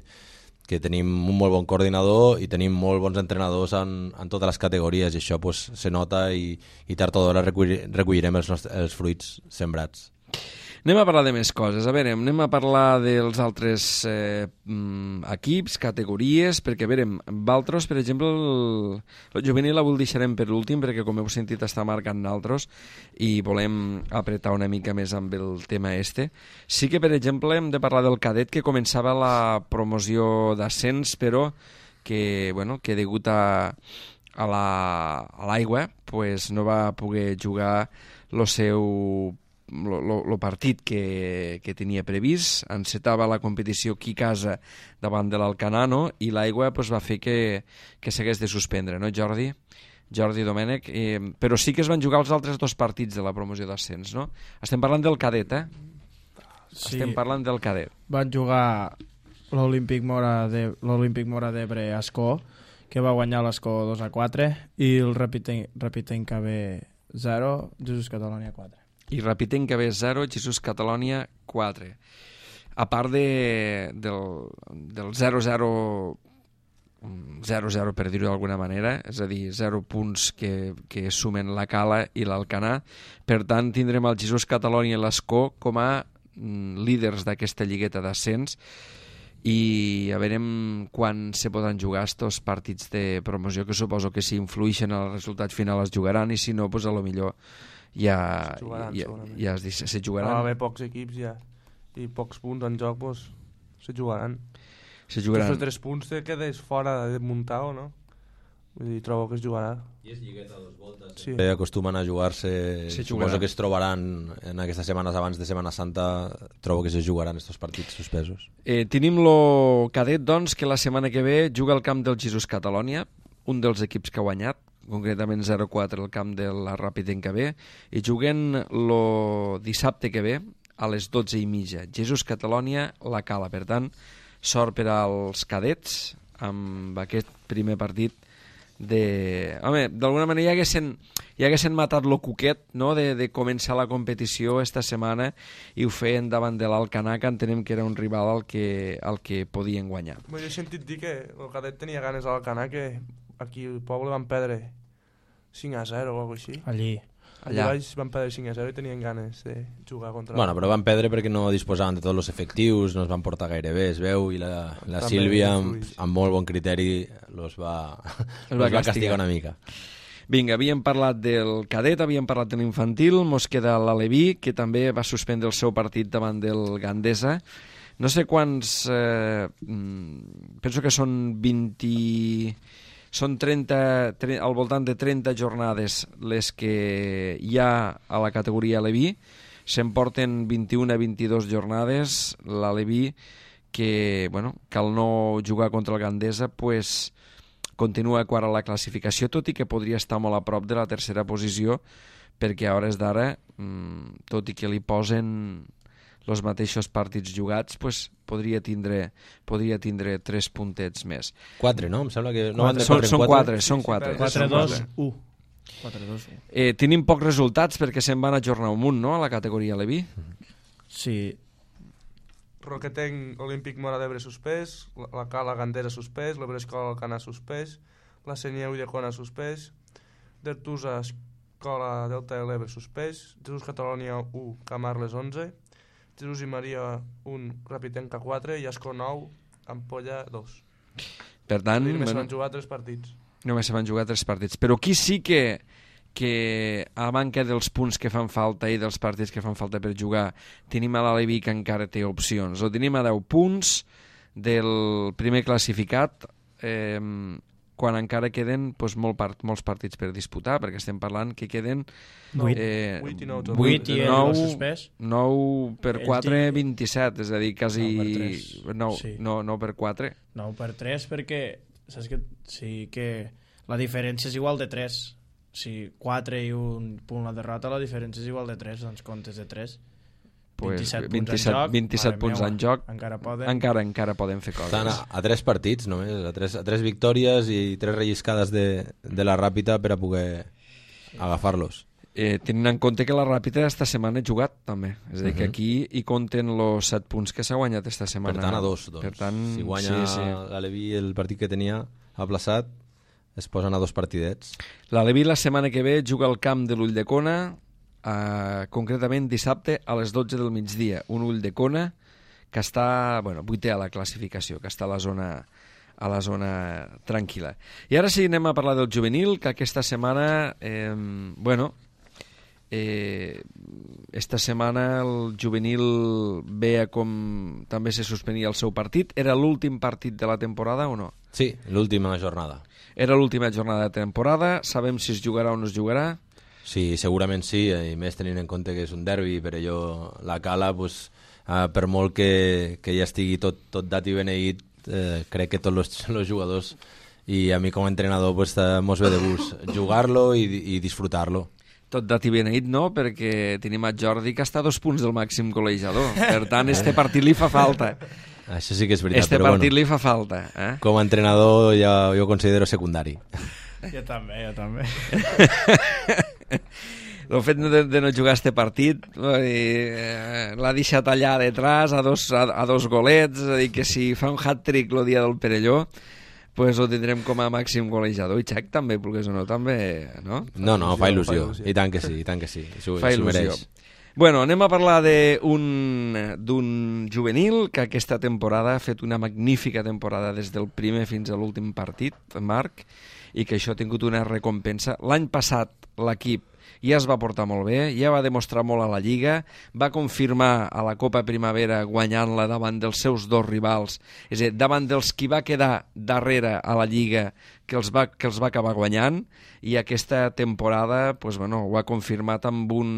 que tenim un molt bon coordinador i tenim molt bons entrenadors en, en totes les categories, i això pues, se nota i, i tard o d'hora recollirem els, nostres, els fruits sembrats. Anem a parlar de més coses. A veure, anem a parlar dels altres eh, equips, categories, perquè, a veure, Valtros, per exemple, el, el juvenil avui el deixarem per l'últim, perquè, com heu sentit, està marcant naltros i volem apretar una mica més amb el tema este. Sí que, per exemple, hem de parlar del cadet, que començava la promoció d'ascens, però que, bueno, que degut a, a l'aigua, la, pues, no va poder jugar el seu el partit que, que tenia previst. Encetava la competició aquí a casa davant de l'Alcanano i l'aigua pues, va fer que, que s'hagués de suspendre, no, Jordi? Jordi Domènech, eh, però sí que es van jugar els altres dos partits de la promoció d'ascens, no? Estem parlant del cadet, eh? Sí. Estem parlant del cadet. Van jugar l'Olímpic Mora de l'Olímpic Mora d'Ebre a Ascó, que va guanyar l'Ascó dos a quatre, i el Rapitenc B zero, Jesús Catalònia quatre. I Rapitenc B zero, Jesús Catalònia quatre. A part de, del, del zero zero zero zero, per dir-ho d'alguna manera, és a dir, zero punts que, que sumen la Cala i l'Alcanar. Per tant, tindrem el Jesús Catalònia i l'Ascó com a mm, líders d'aquesta lligueta d'ascens, i a veurem quan se poden jugar estos partits de promoció, que suposo que si influïxen al resultat final es jugaran, i si no, pues a lo millor ja, jugaran, ja, ja es, se jugaran. Va haver pocs equips ja i pocs punts en joc, pues, se jugaran. Se jugaran. Si fos tres punts te quedes fora de muntar o no? Vull dir, trobo que es jugarà. I és lligueta a dos voltes. Sí. Eh? Acostumen a jugar-se, se suposo jugarà. que es trobaran en aquestes setmanes abans de Setmana Santa, trobo que se jugaran estos partits suspesos. Eh, tenim lo cadet, doncs, que la setmana que ve juga al camp del Jesús Catalònia, un dels equips que ha guanyat, concretament zero quatre al camp de la Rapitenc B, i juguen lo dissabte que ve a les dotze i mitja. Jesús Catalònia, la Cala. Per tant, sort per als cadets amb aquest primer partit de... Home, d'alguna manera ja haguessin, ja haguessin matat lo cuquet, no?, de, de començar la competició esta setmana, i ho feien davant de l'Alcanar, que entenem que era un rival al que, al que podien guanyar. Bé, jo he sentit dir que el cadet tenia ganes a l'Alcanar, que aquí al poble van perdre cinc a zero o alguna cosa així. Allí. Allà baix van perdre cinc a zero i tenien ganes de jugar contra... Bueno, però van perdre perquè no disposaven de tots els efectius, no es van portar gaire bé, es veu, i la, la Sílvia, amb, amb molt bon criteri, los va, Els los va va castigar. castigar una mica. Vinga, havíem parlat del cadet, havíem parlat de l'infantil, mos queda l'Aleví, que també va suspendre el seu partit davant del Gandesa. No sé quants... Eh, penso que són vint... Són trenta, al voltant de trenta jornades les que hi ha a la categoria Aleví. Se'n porten vint-i-una a vint-i-dos jornades. L'Aleví, que, bueno, que al no jugar contra el Gandesa, pues, continua quart a la classificació, tot i que podria estar molt a prop de la tercera posició, perquè a hores d'ara, tot i que li posen els mateixos partits jugats, pues, podria tindre podria tindre tres puntets més. Quatre, no? Em sembla que no van de Són, quatre són en quatre, quatre. són quatre. quatre dos u. quatre dos u. Eh, tenim pocs resultats perquè se'n van ajornar amunt, no?, a la categoria Leví. Sí. Roquetenc, Olímpic Mora d'Ebre suspès, la, la Cala Gandera suspès, l'Ebrescola Alcanar suspès, la Senieu i Llacona suspès, Dertusa Escola Delta de l'Ebre suspès, Jesús Catalònia u, Camarles onze, Jesús i Maria un, Rapitenca quatre i Ascó nou, Ampolla dos. Per tant, I només bueno, van jugar tres partits. només se van jugar tres partits. Però aquí sí que, que a manca dels punts que fan falta i dels partits que fan falta per jugar, tenim a l'Aleví que encara té opcions. O tenim a deu punts del primer classificat, eh, quan encara queden pues, molt part, molts partits per disputar, perquè estem parlant que queden Vuit. eh, Vuit i nou, Vuit i el nou, suspès. nou per Ells quatre, tinc- vint-i-set, és a dir, quasi... Nou per tres. No, Sí. no, no per quatre. nou per tres perquè saps que sí que la diferència és igual de tres. Si quatre i un punt la derrota, la diferència és igual de tres, doncs comptes de tres. Pues, vint-i-set punts vint-i-set, en joc, vint-i-set mare punts meua, en joc, encara poden. encara, encara poden fer coses. Estan a, a tres partits només, a tres, a tres victòries i tres relliscades de, de la Ràpita per a poder agafar-los. Eh, tenint en compte que la Ràpita esta setmana ha jugat també, és a dir, que Mhm. aquí hi compten els set punts que s'ha guanyat esta setmana. Per tant, a dos, doncs. Per tant, si guanya sí, sí. l'Aleví el partit que tenia aplaçat, es posen a dos partidets. L'Aleví la setmana que ve juga al camp de l'Ulldecona, uh, concretament dissabte a les dotze del migdia, un Ulldecona que està, bueno, vuitè a la classificació, que està a la zona a la zona tranquil·la. I ara sí, anem a parlar del juvenil, que aquesta setmana, eh, bueno, eh, esta setmana el juvenil veia com també se suspenia el seu partit. Era l'últim partit de la temporada o no? Sí, l'última jornada. Era l'última jornada de temporada. Sabem si es jugarà o no es jugarà? Sí, segurament sí, i més tenint en compte que és un derbi, per allò la Cala, pues, eh, per molt que, que ja estigui tot, tot dat i beneït, eh, crec que tots els jugadors i a mi com a entrenador pues, mos ve de gust jugar-lo i, i disfrutar-lo. Tot dat i beneït no, perquè tenim a Jordi que està a dos punts del màxim col·legiador. Per tant, este partit li fa falta. Això sí que és veritat, este però partit bueno, li fa falta. Eh? Com a entrenador ja jo ho considero secundari. Jo també, jo també. El fet de, de no jugar este partit eh, l'ha deixat allà detrás a dos, a, a dos golets, és a dir, que si fa un hat-trick el dia del Perelló, pues ho tindrem com a màxim golejador. I Xac també, volgués o no, també, no? No, no, fa il·lusió, fa il·lusió. I tant que sí, i tant que sí. Això, fa això il·lusió. mereix. Bueno, anem a parlar d'un juvenil que aquesta temporada ha fet una magnífica temporada des del primer fins a l'últim partit, Marc, i que això ha tingut una recompensa. L'any passat l'equip ja es va portar molt bé, ja va demostrar molt a la Lliga, va confirmar a la Copa Primavera guanyant-la davant dels seus dos rivals, és a dir, davant dels qui va quedar darrere a la Lliga, que els va, que els va acabar guanyant, i aquesta temporada pues, bueno, ho ha confirmat amb un,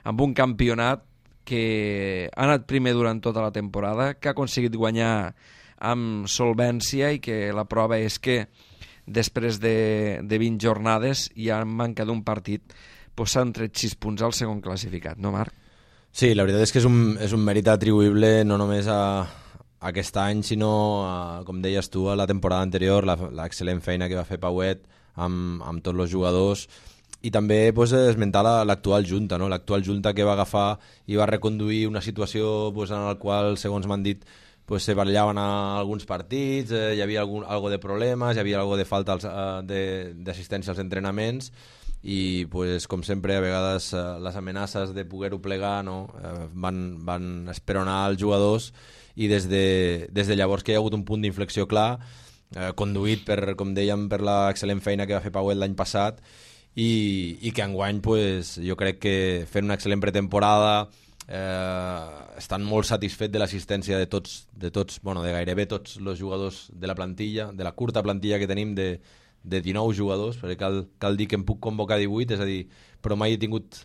amb un campionat que ha anat primer durant tota la temporada, que ha aconseguit guanyar amb solvència i que la prova és que després de, de vint jornades i en manca d'un partit pues, s'han tret sis punts al segon classificat, no Marc? Sí, la veritat és que és un, és un mèrit atribuïble no només a, a aquest any, sinó, a, com deies tu, a la temporada anterior, l'excel·lent feina que va fer Pauet amb, amb tots els jugadors, i també pues, esmentar l'actual junta, no? L'actual junta que va agafar i va reconduir una situació pues, en la qual, segons m'han dit, pues, se barallaven a alguns partits, eh, hi havia algun, algo de problemes, hi havia algo de falta d'assistència als entrenaments, i pues, com sempre a vegades eh, les amenaces de poder-ho plegar no? eh, van, van esperonar els jugadors, i des de, des de llavors que hi ha hagut un punt d'inflexió clar, eh, conduït per, com dèiem, per l'excel·lent feina que va fer Pauet l'any passat, i, i que enguany pues, jo crec que fent una excel·lent pretemporada, eh, estan molt satisfets de l'assistència de tots, de tots, bueno, de gairebé tots els jugadors de la plantilla, de la curta plantilla que tenim de de dinou jugadors, perquè cal, cal dir que en puc convocar divuit, és a dir, però mai he tingut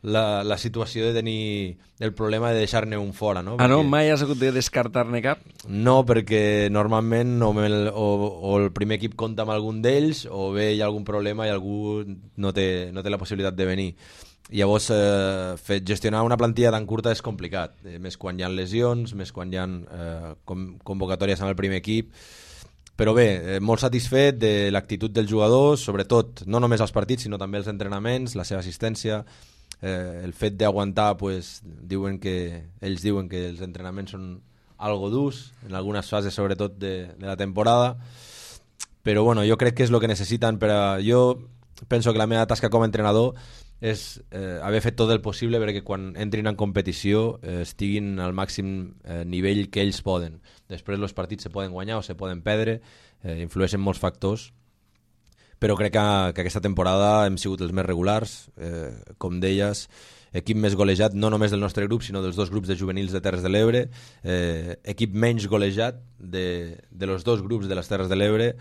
la, la situació de tenir el problema de deixar-ne un fora, no? Ah, perquè... no? Mai has hagut de descartar-ne cap? No, perquè normalment o el, o, o el primer equip compta amb algun d'ells, o bé hi ha algun problema i algú no té, no té la possibilitat de venir. Llavors, eh, fer, gestionar una plantilla tan curta és complicat, eh, més quan hi ha lesions, més quan hi ha eh, com, convocatòries amb el primer equip. Però bé, eh, molt satisfet de l'actitud dels jugadors, sobretot, no només els partits, sinó també els entrenaments, la seva assistència, eh, el fet d'aguantar, pues, diuen que, ells diuen que els entrenaments són algo durs, en algunes fases sobretot de, de la temporada, però bueno, jo crec que és el que necessiten per a... Jo penso que la meva tasca com a entrenador és eh, haver fet tot el possible perquè quan entrin en competició eh, estiguin al màxim eh, nivell que ells poden. Després els partits se poden guanyar o se poden perdre, eh, influeixen molts factors, però crec que, que aquesta temporada hem sigut els més regulars, eh, com deies, equip més golejat no només del nostre grup sinó dels dos grups de juvenils de Terres de l'Ebre, eh, equip menys golejat de, de los dos grups de les Terres de l'Ebre.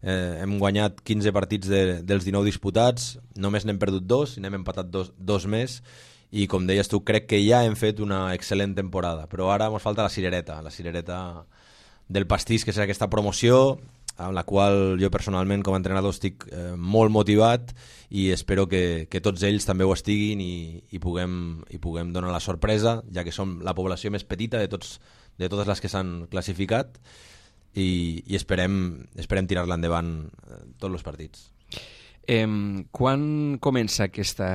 Eh, hem guanyat quinze partits de, dels dinou disputats, només n'hem perdut dos i n'hem empatat dos, dos més, i com deies tu, crec que ja hem fet una excel·lent temporada, però ara ens falta la cirereta, la cirereta del pastís, que serà aquesta promoció, amb la qual jo personalment com a entrenador estic eh, molt motivat, i espero que, que tots ells també ho estiguin i, i, puguem, i puguem donar la sorpresa, ja que som la població més petita de, tots, de totes les que s'han classificat, i, i esperem, esperem tirar-la endavant eh, tots els partits. Eh, quan comença aquesta,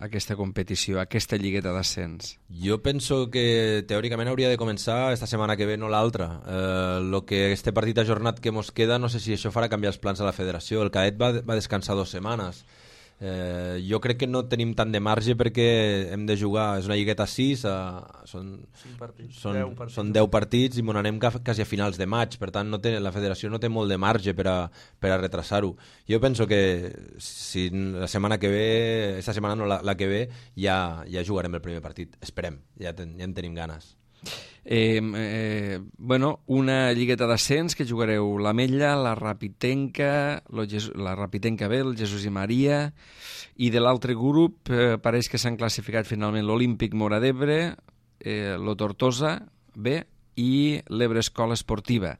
aquesta competició, aquesta lligueta d'ascens? Jo penso que teòricament hauria de començar esta setmana que ve, no l'altra. Eh, lo que este partit ajornat que mos queda, no sé si això farà canviar els plans de la federació. El cadet va, va descansar dues setmanes. Eh, jo crec que no tenim tant de marge perquè hem de jugar, és una lligueta a sis, a, són, partits, són, deu partits. són deu partits i m'on anem quasi a finals de maig, per tant no té, la federació no té molt de marge per a, per a retrasar-ho. Jo penso que si la setmana que ve, aquesta setmana no, la, la que ve, ja, ja jugarem el primer partit, esperem, ja, ten, ja en tenim ganes. Eh, eh, bueno, una lligueta d'ascens que jugareu l'Ametlla, la Rapitenca, lo Jes la Rapitenca B, el Jesús i Maria, i de l'altre grup eh, pareix que s'han classificat finalment l'Olímpic Móra d'Ebre, eh, lo Tortosa B i l'Ebre Escola Esportiva.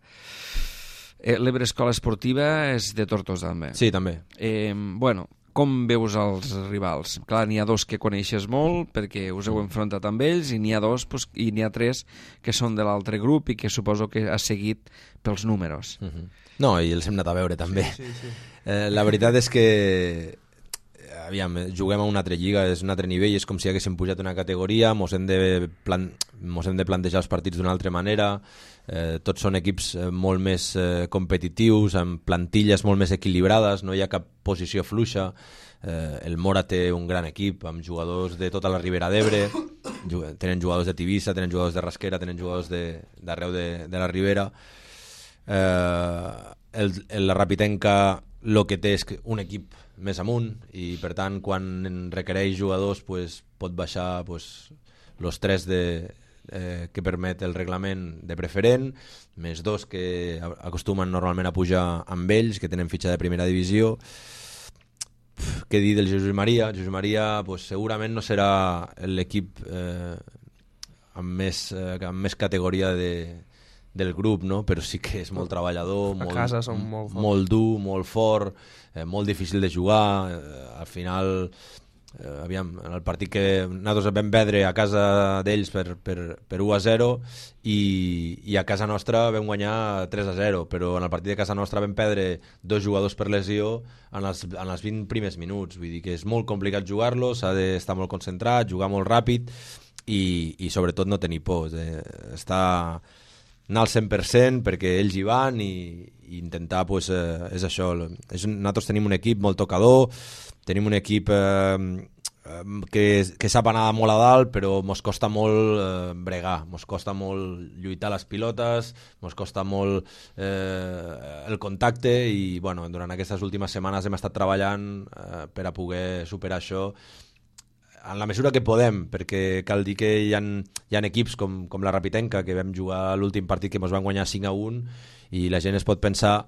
Eh, L'Ebre Escola Esportiva és de Tortosa també. Sí, també. Eh, bueno, com veus els rivals? Clar, n'hi ha dos que coneixes molt perquè us heu enfrontat amb ells i n'hi ha dos pues, i n'hi ha tres que són de l'altre grup i que suposo que has seguit pels números. Uh -huh. No, i els hem anat a veure també. Sí, sí, sí. Eh, la veritat és que aviam, juguem a una altra lliga, és un altre nivell, és com si haguéssim pujat una categoria, mos hem de, plan mos hem de plantejar els partits d'una altra manera, eh, tots són equips eh, molt més eh, competitius, amb plantilles molt més equilibrades, no hi ha cap posició fluixa. Eh, el Mora té un gran equip amb jugadors de tota la Ribera d'Ebre, tenen jugadors de Tivissa, tenen jugadors de Rasquera, tenen jugadors d'arreu de, de, de la Ribera. Eh, el, el, la Rapitenca el que té és un equip més amunt i per tant quan requereix jugadors pues, pot baixar pues, los tres de, eh, que permet el reglament de preferent, més dos que acostumen normalment a pujar amb ells, que tenen fitxa de primera divisió. Pff, què dir del Jesús i Maria? Jesús i Maria pues, segurament no serà l'equip eh, amb, més, eh, amb més categoria de, del grup, no? Però sí que és molt treballador, a molt, casa són molt forts. molt dur, molt fort, eh, molt difícil de jugar. Eh, al final, eh, aviam, en el partit que nosaltres vam perdre a casa d'ells per, per, per u a zero i, i a casa nostra vam guanyar tres a zero, però en el partit de casa nostra vam perdre dos jugadors per lesió en els, en els vint primers minuts. Vull dir que és molt complicat jugar-lo, s'ha d'estar molt concentrat, jugar molt ràpid i, i sobretot no tenir por. Eh, estar anar al cent per cent perquè ells hi van i, i intentar, pues, eh, és això. És un, nosaltres tenim un equip molt tocador, tenim un equip eh, que, que sap anar molt a dalt, però mos costa molt eh, bregar, mos costa molt lluitar les pilotes, mos costa molt eh, el contacte i bueno, durant aquestes últimes setmanes hem estat treballant eh, per a poder superar això en la mesura que podem, perquè cal dir que hi ha, hi ha equips com, com la Rapitenca, que vam jugar l'últim partit que ens van guanyar cinc a un, i la gent es pot pensar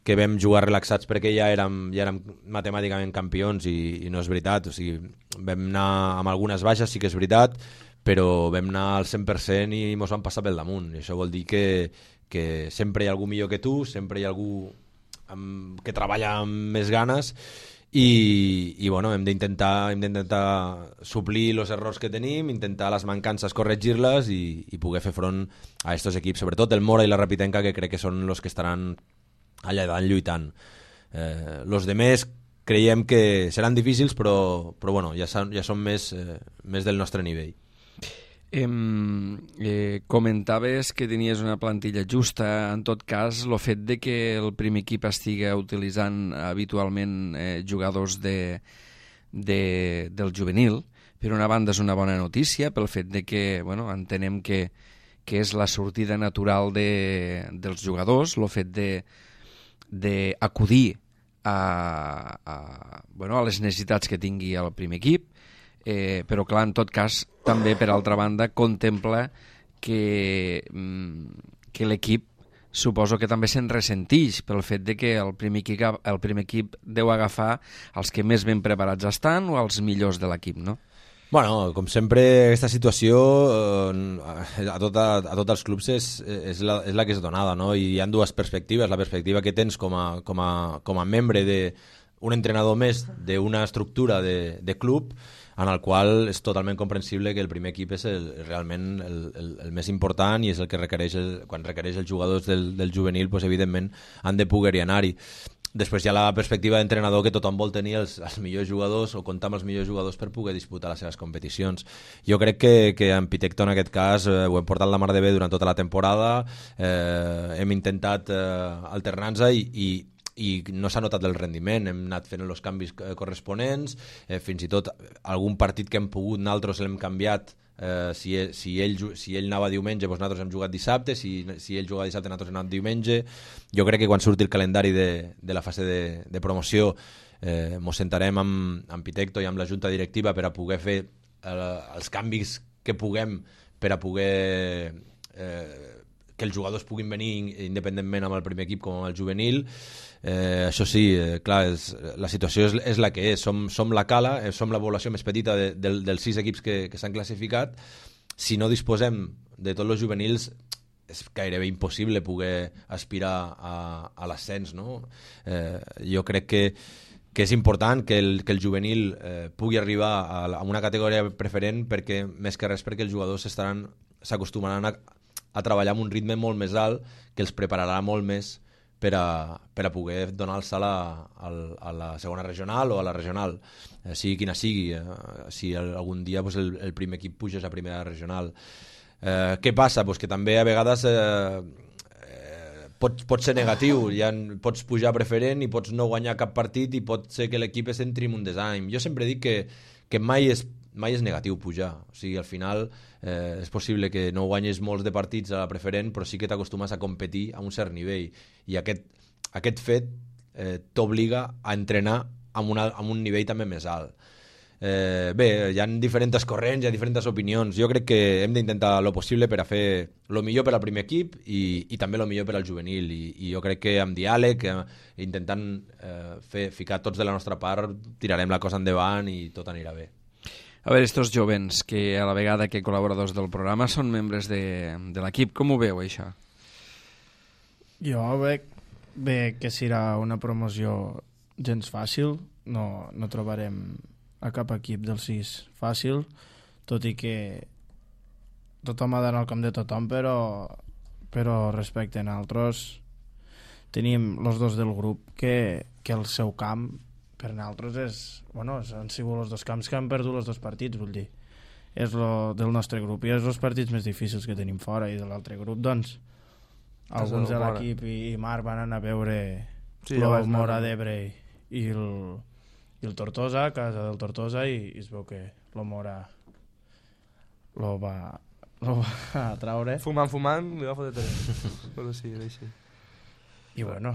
que vam jugar relaxats perquè ja érem, ja érem matemàticament campions, i, i no és veritat. O sigui, vam anar amb algunes baixes, sí que és veritat, però vam anar al cent per cent i ens vam passar pel damunt. I això vol dir que, que sempre hi ha algú millor que tu, sempre hi ha algú amb, que treballa amb més ganes, i, i bueno, hem d'intentar hem d'intentar suplir els errors que tenim, intentar les mancances corregir-les i, i poder fer front a aquests equips, sobretot el Mora i la Rapitenca, que crec que són els que estaran allà davant lluitant. Eh, los demés creiem que seran difícils, però, però bueno, ja, son, ja són més, eh, més del nostre nivell. Eh, eh, comentaves que tenies una plantilla justa. En tot cas, el fet de que el primer equip estigui utilitzant habitualment eh, jugadors de, de, del juvenil, per una banda és una bona notícia pel fet de que, bueno, entenem que, que és la sortida natural de, dels jugadors, el fet de d'acudir a, a, bueno, a les necessitats que tingui el primer equip. Eh, però clar, en tot cas també per altra banda contempla que, que l'equip suposo que també se'n ressentix pel fet de que el primer, equip, el primer equip deu agafar els que més ben preparats estan o els millors de l'equip, no? Bueno, com sempre, aquesta situació eh, a, tota, a tots els clubs és, és, la, és la que és donada, no? I hi ha dues perspectives. La perspectiva que tens com a, com a, com a membre d'un entrenador més d'una estructura de, de club, en el qual és totalment comprensible que el primer equip és el, realment el, el, el més important i és el que requereix, el, quan requereix els jugadors del, del juvenil, pues, evidentment han de poder-hi anar-hi. Després hi ha la perspectiva d'entrenador que tothom vol tenir els, els millors jugadors o comptar amb els millors jugadors per poder disputar les seves competicions. Jo crec que, que en Pitecto en aquest cas eh, ho hem portat la mar de bé durant tota la temporada, eh, hem intentat eh, alternar-nos i, i i no s'ha notat el rendiment, hem anat fent els canvis corresponents, eh, fins i tot algun partit que hem pogut nosaltres l'hem canviat, eh, si, ell, si, ell, si ell anava diumenge doncs nosaltres hem jugat dissabte, si, si ell jugava dissabte nosaltres hem anat diumenge. Jo crec que quan surti el calendari de, de la fase de, de promoció eh, mos sentarem amb, amb Pitecto i amb la junta directiva per a poder fer eh, els canvis que puguem per a poder eh, que els jugadors puguin venir independentment amb el primer equip com amb el juvenil. Eh, això sí, eh, clar, és, la situació és, és la que és. Som, som la cala, eh, som la població més petita de, de, dels sis equips que, que s'han classificat. Si no disposem de tots els juvenils, és gairebé impossible poder aspirar a, a l'ascens, no? Eh, jo crec que, que és important que el, que el juvenil eh, pugui arribar a, a una categoria preferent, perquè més que res perquè els jugadors estaran s'acostumaran a, a treballar amb un ritme molt més alt que els prepararà molt més per a, per a poder donar el salt a, a, a la segona regional o a la regional, eh, sigui quina sigui, eh, si algun dia pues, el, el primer equip puja a primera regional. Eh, què passa? Pues que també a vegades eh, eh, pot, pot ser negatiu, ja pots pujar a preferent i pots no guanyar cap partit i pot ser que l'equip es entri en un desànim. Jo sempre dic que, que mai és mai és negatiu pujar, o sigui, al final eh, és possible que no guanyes molts de partits a la preferent, però sí que t'acostumes a competir a un cert nivell, i aquest, aquest fet eh, t'obliga a entrenar amb, una, amb un nivell també més alt. Eh, bé, hi ha diferents corrents, hi ha diferents opinions. Jo crec que hem d'intentar lo possible per a fer lo millor per al primer equip i, i també lo millor per al juvenil, i, i jo crec que amb diàleg, eh, intentant eh, fer, ficar tots de la nostra part, tirarem la cosa endavant i tot anirà bé. A veure, estos jovens que a la vegada que col·laboradors del programa són membres de, de l'equip, com ho veu, això? Jo veig bé que serà una promoció gens fàcil, no, no trobarem a cap equip dels sis fàcil, tot i que tothom ha d'anar al camp de tothom, però, però respecte a nosaltres tenim els dos del grup que, que el seu camp per nosaltres és, bueno, han sigut els dos camps que han perdut els dos partits, vull dir, és lo del nostre grup i és els partits més difícils que tenim fora, i de l'altre grup, doncs alguns de l'equip i, i Marc van anar a veure sí, el Mora d'Ebre i el, i el Tortosa, a casa del Tortosa, i, i es veu que el Mora lo va, lo va traure fumant, fumant, li va fotre tres però sí, així i bueno,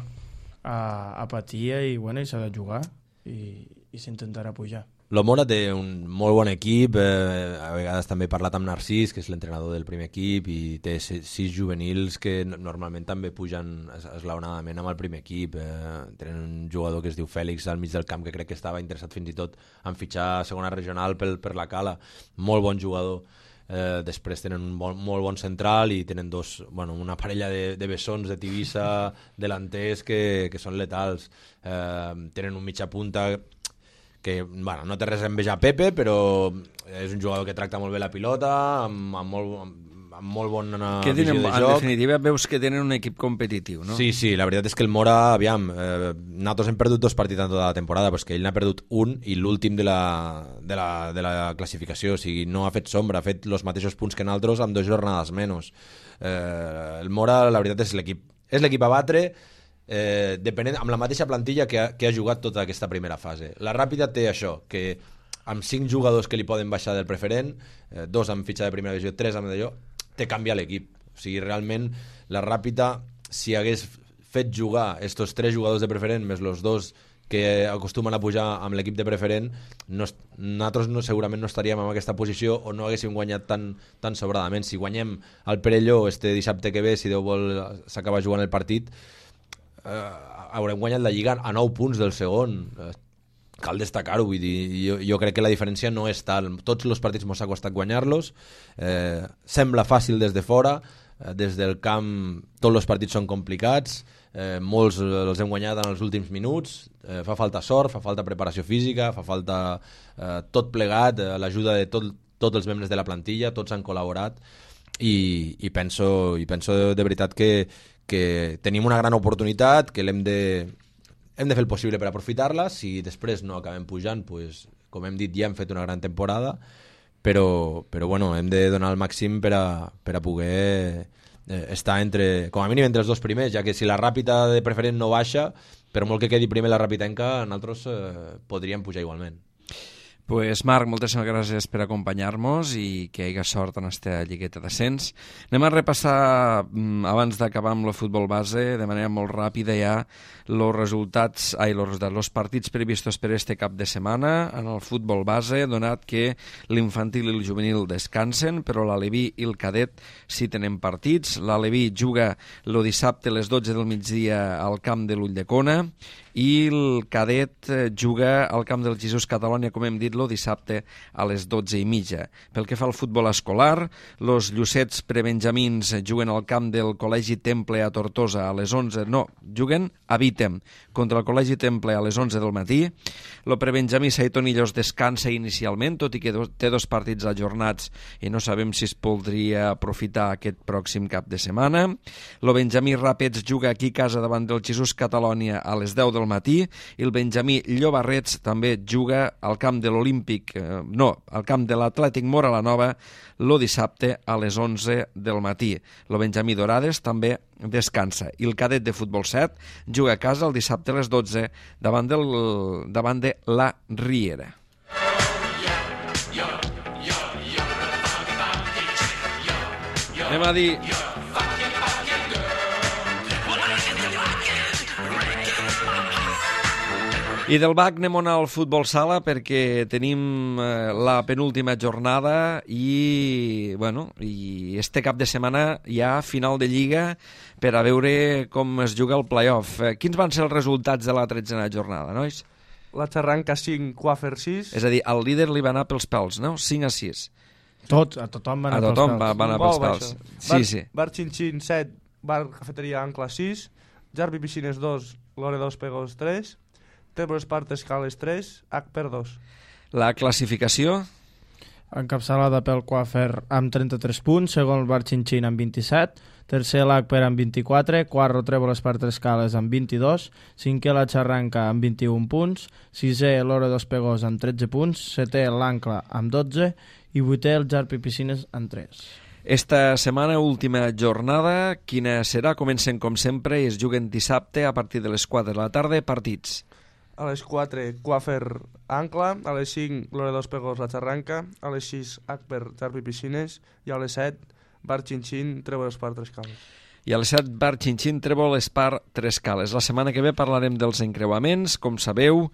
a, a patir i, bueno, i s'ha de jugar i, i s'intentarà pujar. Lo Mora té un molt bon equip, eh, a vegades també he parlat amb Narcís, que és l'entrenador del primer equip, i té sis juvenils que normalment també pugen esglaonadament amb el primer equip. Eh, tenen un jugador que es diu Fèlix al mig del camp, que crec que estava interessat fins i tot en fitxar a segona regional per, per la Cala. Molt bon jugador. Eh, després tenen un bon, molt bon central i tenen dos, bueno, una parella de, de bessons de Tivissa delanters que, que són letals. Eh, tenen un mitja punta que, bueno, no té res a envejar Pepe, però és un jugador que tracta molt bé la pilota, amb, amb molt, amb, amb molt bona que visió tenen, de en joc. En definitiva veus que tenen un equip competitiu, no? Sí, sí, la veritat és que el Mora, aviam, eh, nosaltres hem perdut dos partits en tota la temporada, però és que ell n'ha perdut un i l'últim de, la, de, la, de la classificació, o sigui, no ha fet sombra, ha fet els mateixos punts que nosaltres amb dues jornades menys. Eh, el Mora, la veritat, és l'equip és l'equip a batre, eh, depenent, amb la mateixa plantilla que ha, que ha jugat tota aquesta primera fase. La Ràpida té això, que amb cinc jugadors que li poden baixar del preferent, eh, dos amb fitxa de primera divisió, tres amb d'allò, te canvia l'equip. O sigui, realment, la Ràpida, si hagués fet jugar estos tres jugadors de preferent més els dos que acostumen a pujar amb l'equip de preferent, no, nosaltres no, segurament no estaríem en aquesta posició o no haguéssim guanyat tan, tan sobradament. Si guanyem el Perelló este dissabte que ve, si Déu vol s'acaba jugant el partit, eh, haurem guanyat la Lliga a nou punts del segon. Eh, cal destacar-ho, vull dir, jo, jo crec que la diferència no és tal. Tots els partits mos ha costat guanyar-los, eh, sembla fàcil des de fora, eh, des del camp tots els partits són complicats, eh, molts els hem guanyat en els últims minuts, eh, fa falta sort, fa falta preparació física, fa falta eh, tot plegat, eh, l'ajuda de tot, tots els membres de la plantilla, tots han col·laborat, i, i, penso, i penso de, de veritat que, que tenim una gran oportunitat, que l'hem de hem de fer el possible per aprofitar-la. Si després no acabem pujant, pues, com hem dit, ja hem fet una gran temporada, però, però bueno, hem de donar el màxim per a, per a poder eh, està entre, com a mínim entre els dos primers, ja que si la Ràpita de preferent no baixa, per molt que quedi primer la Ràpitenca, nosaltres eh, podríem pujar igualment. Pues Marc, moltíssimes gràcies per acompanyar-nos i que hi hagi sort en aquesta lligueta d'ascens. Anem a repassar, abans d'acabar amb el futbol base, de manera molt ràpida ja, els resultats, ai, los resultats, los partits previstos per este cap de setmana en el futbol base, donat que l'infantil i el juvenil descansen, però l'Aleví i el cadet sí tenen partits. L'Aleví juga el dissabte a les dotze del migdia al camp de l'Ulldecona i el cadet juga al camp del Jesús Catalònia, com hem dit, el dissabte a les dotze i mitja. Pel que fa al futbol escolar, els Llucets prebenjamins juguen al camp del Col·legi Temple a Tortosa a les onze, no, juguen a Vítem contra el Col·legi Temple a les onze del matí. El prebenjamí Saitonillos descansa inicialment, tot i que té dos partits ajornats i no sabem si es podria aprofitar aquest pròxim cap de setmana. El benjamí Ràpets juga aquí a casa davant del Jesús Catalònia a les deu del matí i el benjamí Llobarrets també juga al camp de l'Olímpic, eh, no, al camp de l'Atlètic Mora la Nova el dissabte a les onze del matí. El benjamí Dorades també descansa i el cadet de futbol set juga a casa el dissabte a les dotze davant, del, davant de la Riera. Anem a dir... I del B A C anem al futbol sala perquè tenim eh, la penúltima jornada i, bueno, i este cap de setmana hi ha final de Lliga per a veure com es juga el play-off. Eh, quins van ser els resultats de la tretzena jornada, nois? La Xarranca cinc, Quafer sis. És a dir, al líder li va anar pels pèls, no? cinc a sis. Tot, a tothom va anar a tothom pels pèls. va, va anar pels pèls. Sí, bar, sí. Bar Xinxin set, Bar Cafeteria Ancla sis, Jarbi Piscines dos, Lore dos Pegos tres, Tebro Espart Escales tres, H per dos. La classificació? Encapçalada pel Quafer amb trenta-tres punts, segon el Bar Xinxin amb vint-i-set, tercer l'Acper amb vint-i-quatre, quart Trèvol Espart Escales amb vint-i-dos, cinquè la Xarranca amb vint-i-un punts, sisè l'Hora dos Pegós amb tretze punts, setè l'Ancla amb dotze i vuitè el Jarpi Piscines amb tres. Esta setmana, última jornada, quina serà? Comencen com sempre i es juguen dissabte a partir de les quatre de la tarda, partits. A les quatre, Quafer Ancla, a les cinc, Lore dos Pegos, la Xarranca, a les sis, Acper, Jarpi Piscines, i a les set, Bar Xinxin, Trèvol Espart, Tres Cales. I a les set, Bar Xinxin, Trèvol Espart, Tres Cales. La setmana que ve parlarem dels encreuaments, com sabeu,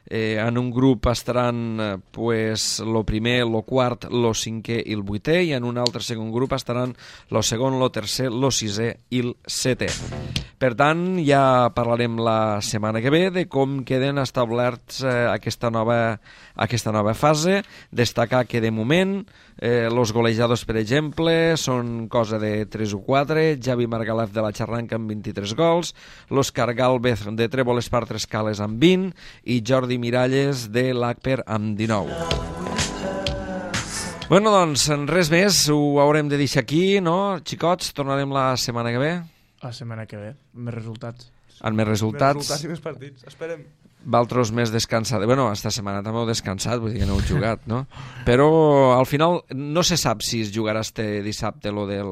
eh, en un grup estaran eh, pues, lo primer, lo quart, lo cinquè i el vuitè, i en un altre segon grup estaran lo segon, lo tercer, lo sisè i el setè. Per tant, ja parlarem la setmana que ve de com queden establerts eh, aquesta, nova, aquesta nova fase. Destacar que de moment eh, los golejadors, per exemple, són cosa de tres o quatre, Javi Margalef de la Xarranca amb vint-i-tres gols, l'Òscar Gálvez de Trèvol Espart Tres Cales amb vint i Jordi Miralles de l'Acper amb dinou. Bueno, doncs, res més, ho haurem de deixar aquí, no? Xicots, tornarem la setmana que ve. La setmana que ve, més resultats. Amb més resultats. Més resultats i més partits, esperem. Valtros més descansats. Bueno, esta setmana també heu descansat, vull dir que no heu jugat, no? Però al final no se sap si es jugarà este dissabte lo del,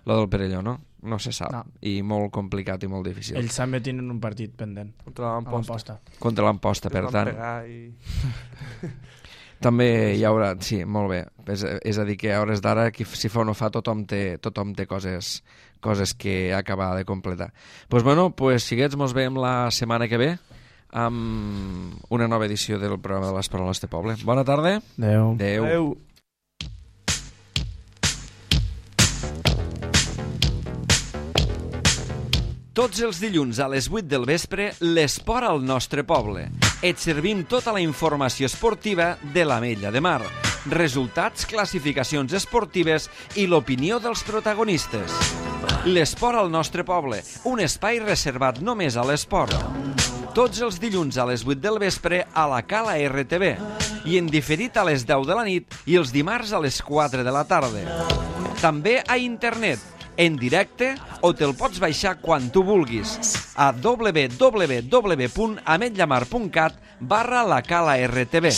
lo del Perelló, no? No se sap. No. I molt complicat i molt difícil. Ells també tenen un partit pendent. Contra l'Amposta. Contra l'Amposta, per tant. I... També hi haurà... Sí, molt bé. És, és a dir, que a hores d'ara, si fa o no fa, tothom té, tothom té coses, coses que acabar de completar. Doncs pues bueno, pues, siguets, mos veiem la setmana que ve amb una nova edició del programa de les Paroles de Poble. Bona tarda. Adéu. Adéu. Adéu. Tots els dilluns a les vuit del vespre, l'esport al nostre poble. Et servim tota la informació esportiva de l'Ametlla de Mar, resultats, classificacions esportives i l'opinió dels protagonistes. L'esport al nostre poble, un espai reservat només a l'esport. Tots els dilluns a les vuit del vespre a la Cala R T V i en diferit a les deu de la nit i els dimarts a les quatre de la tarda. També a internet, en directe, o te'l pots baixar quan tu vulguis a w w w punt ametllamar punt cat barra la cala R T V.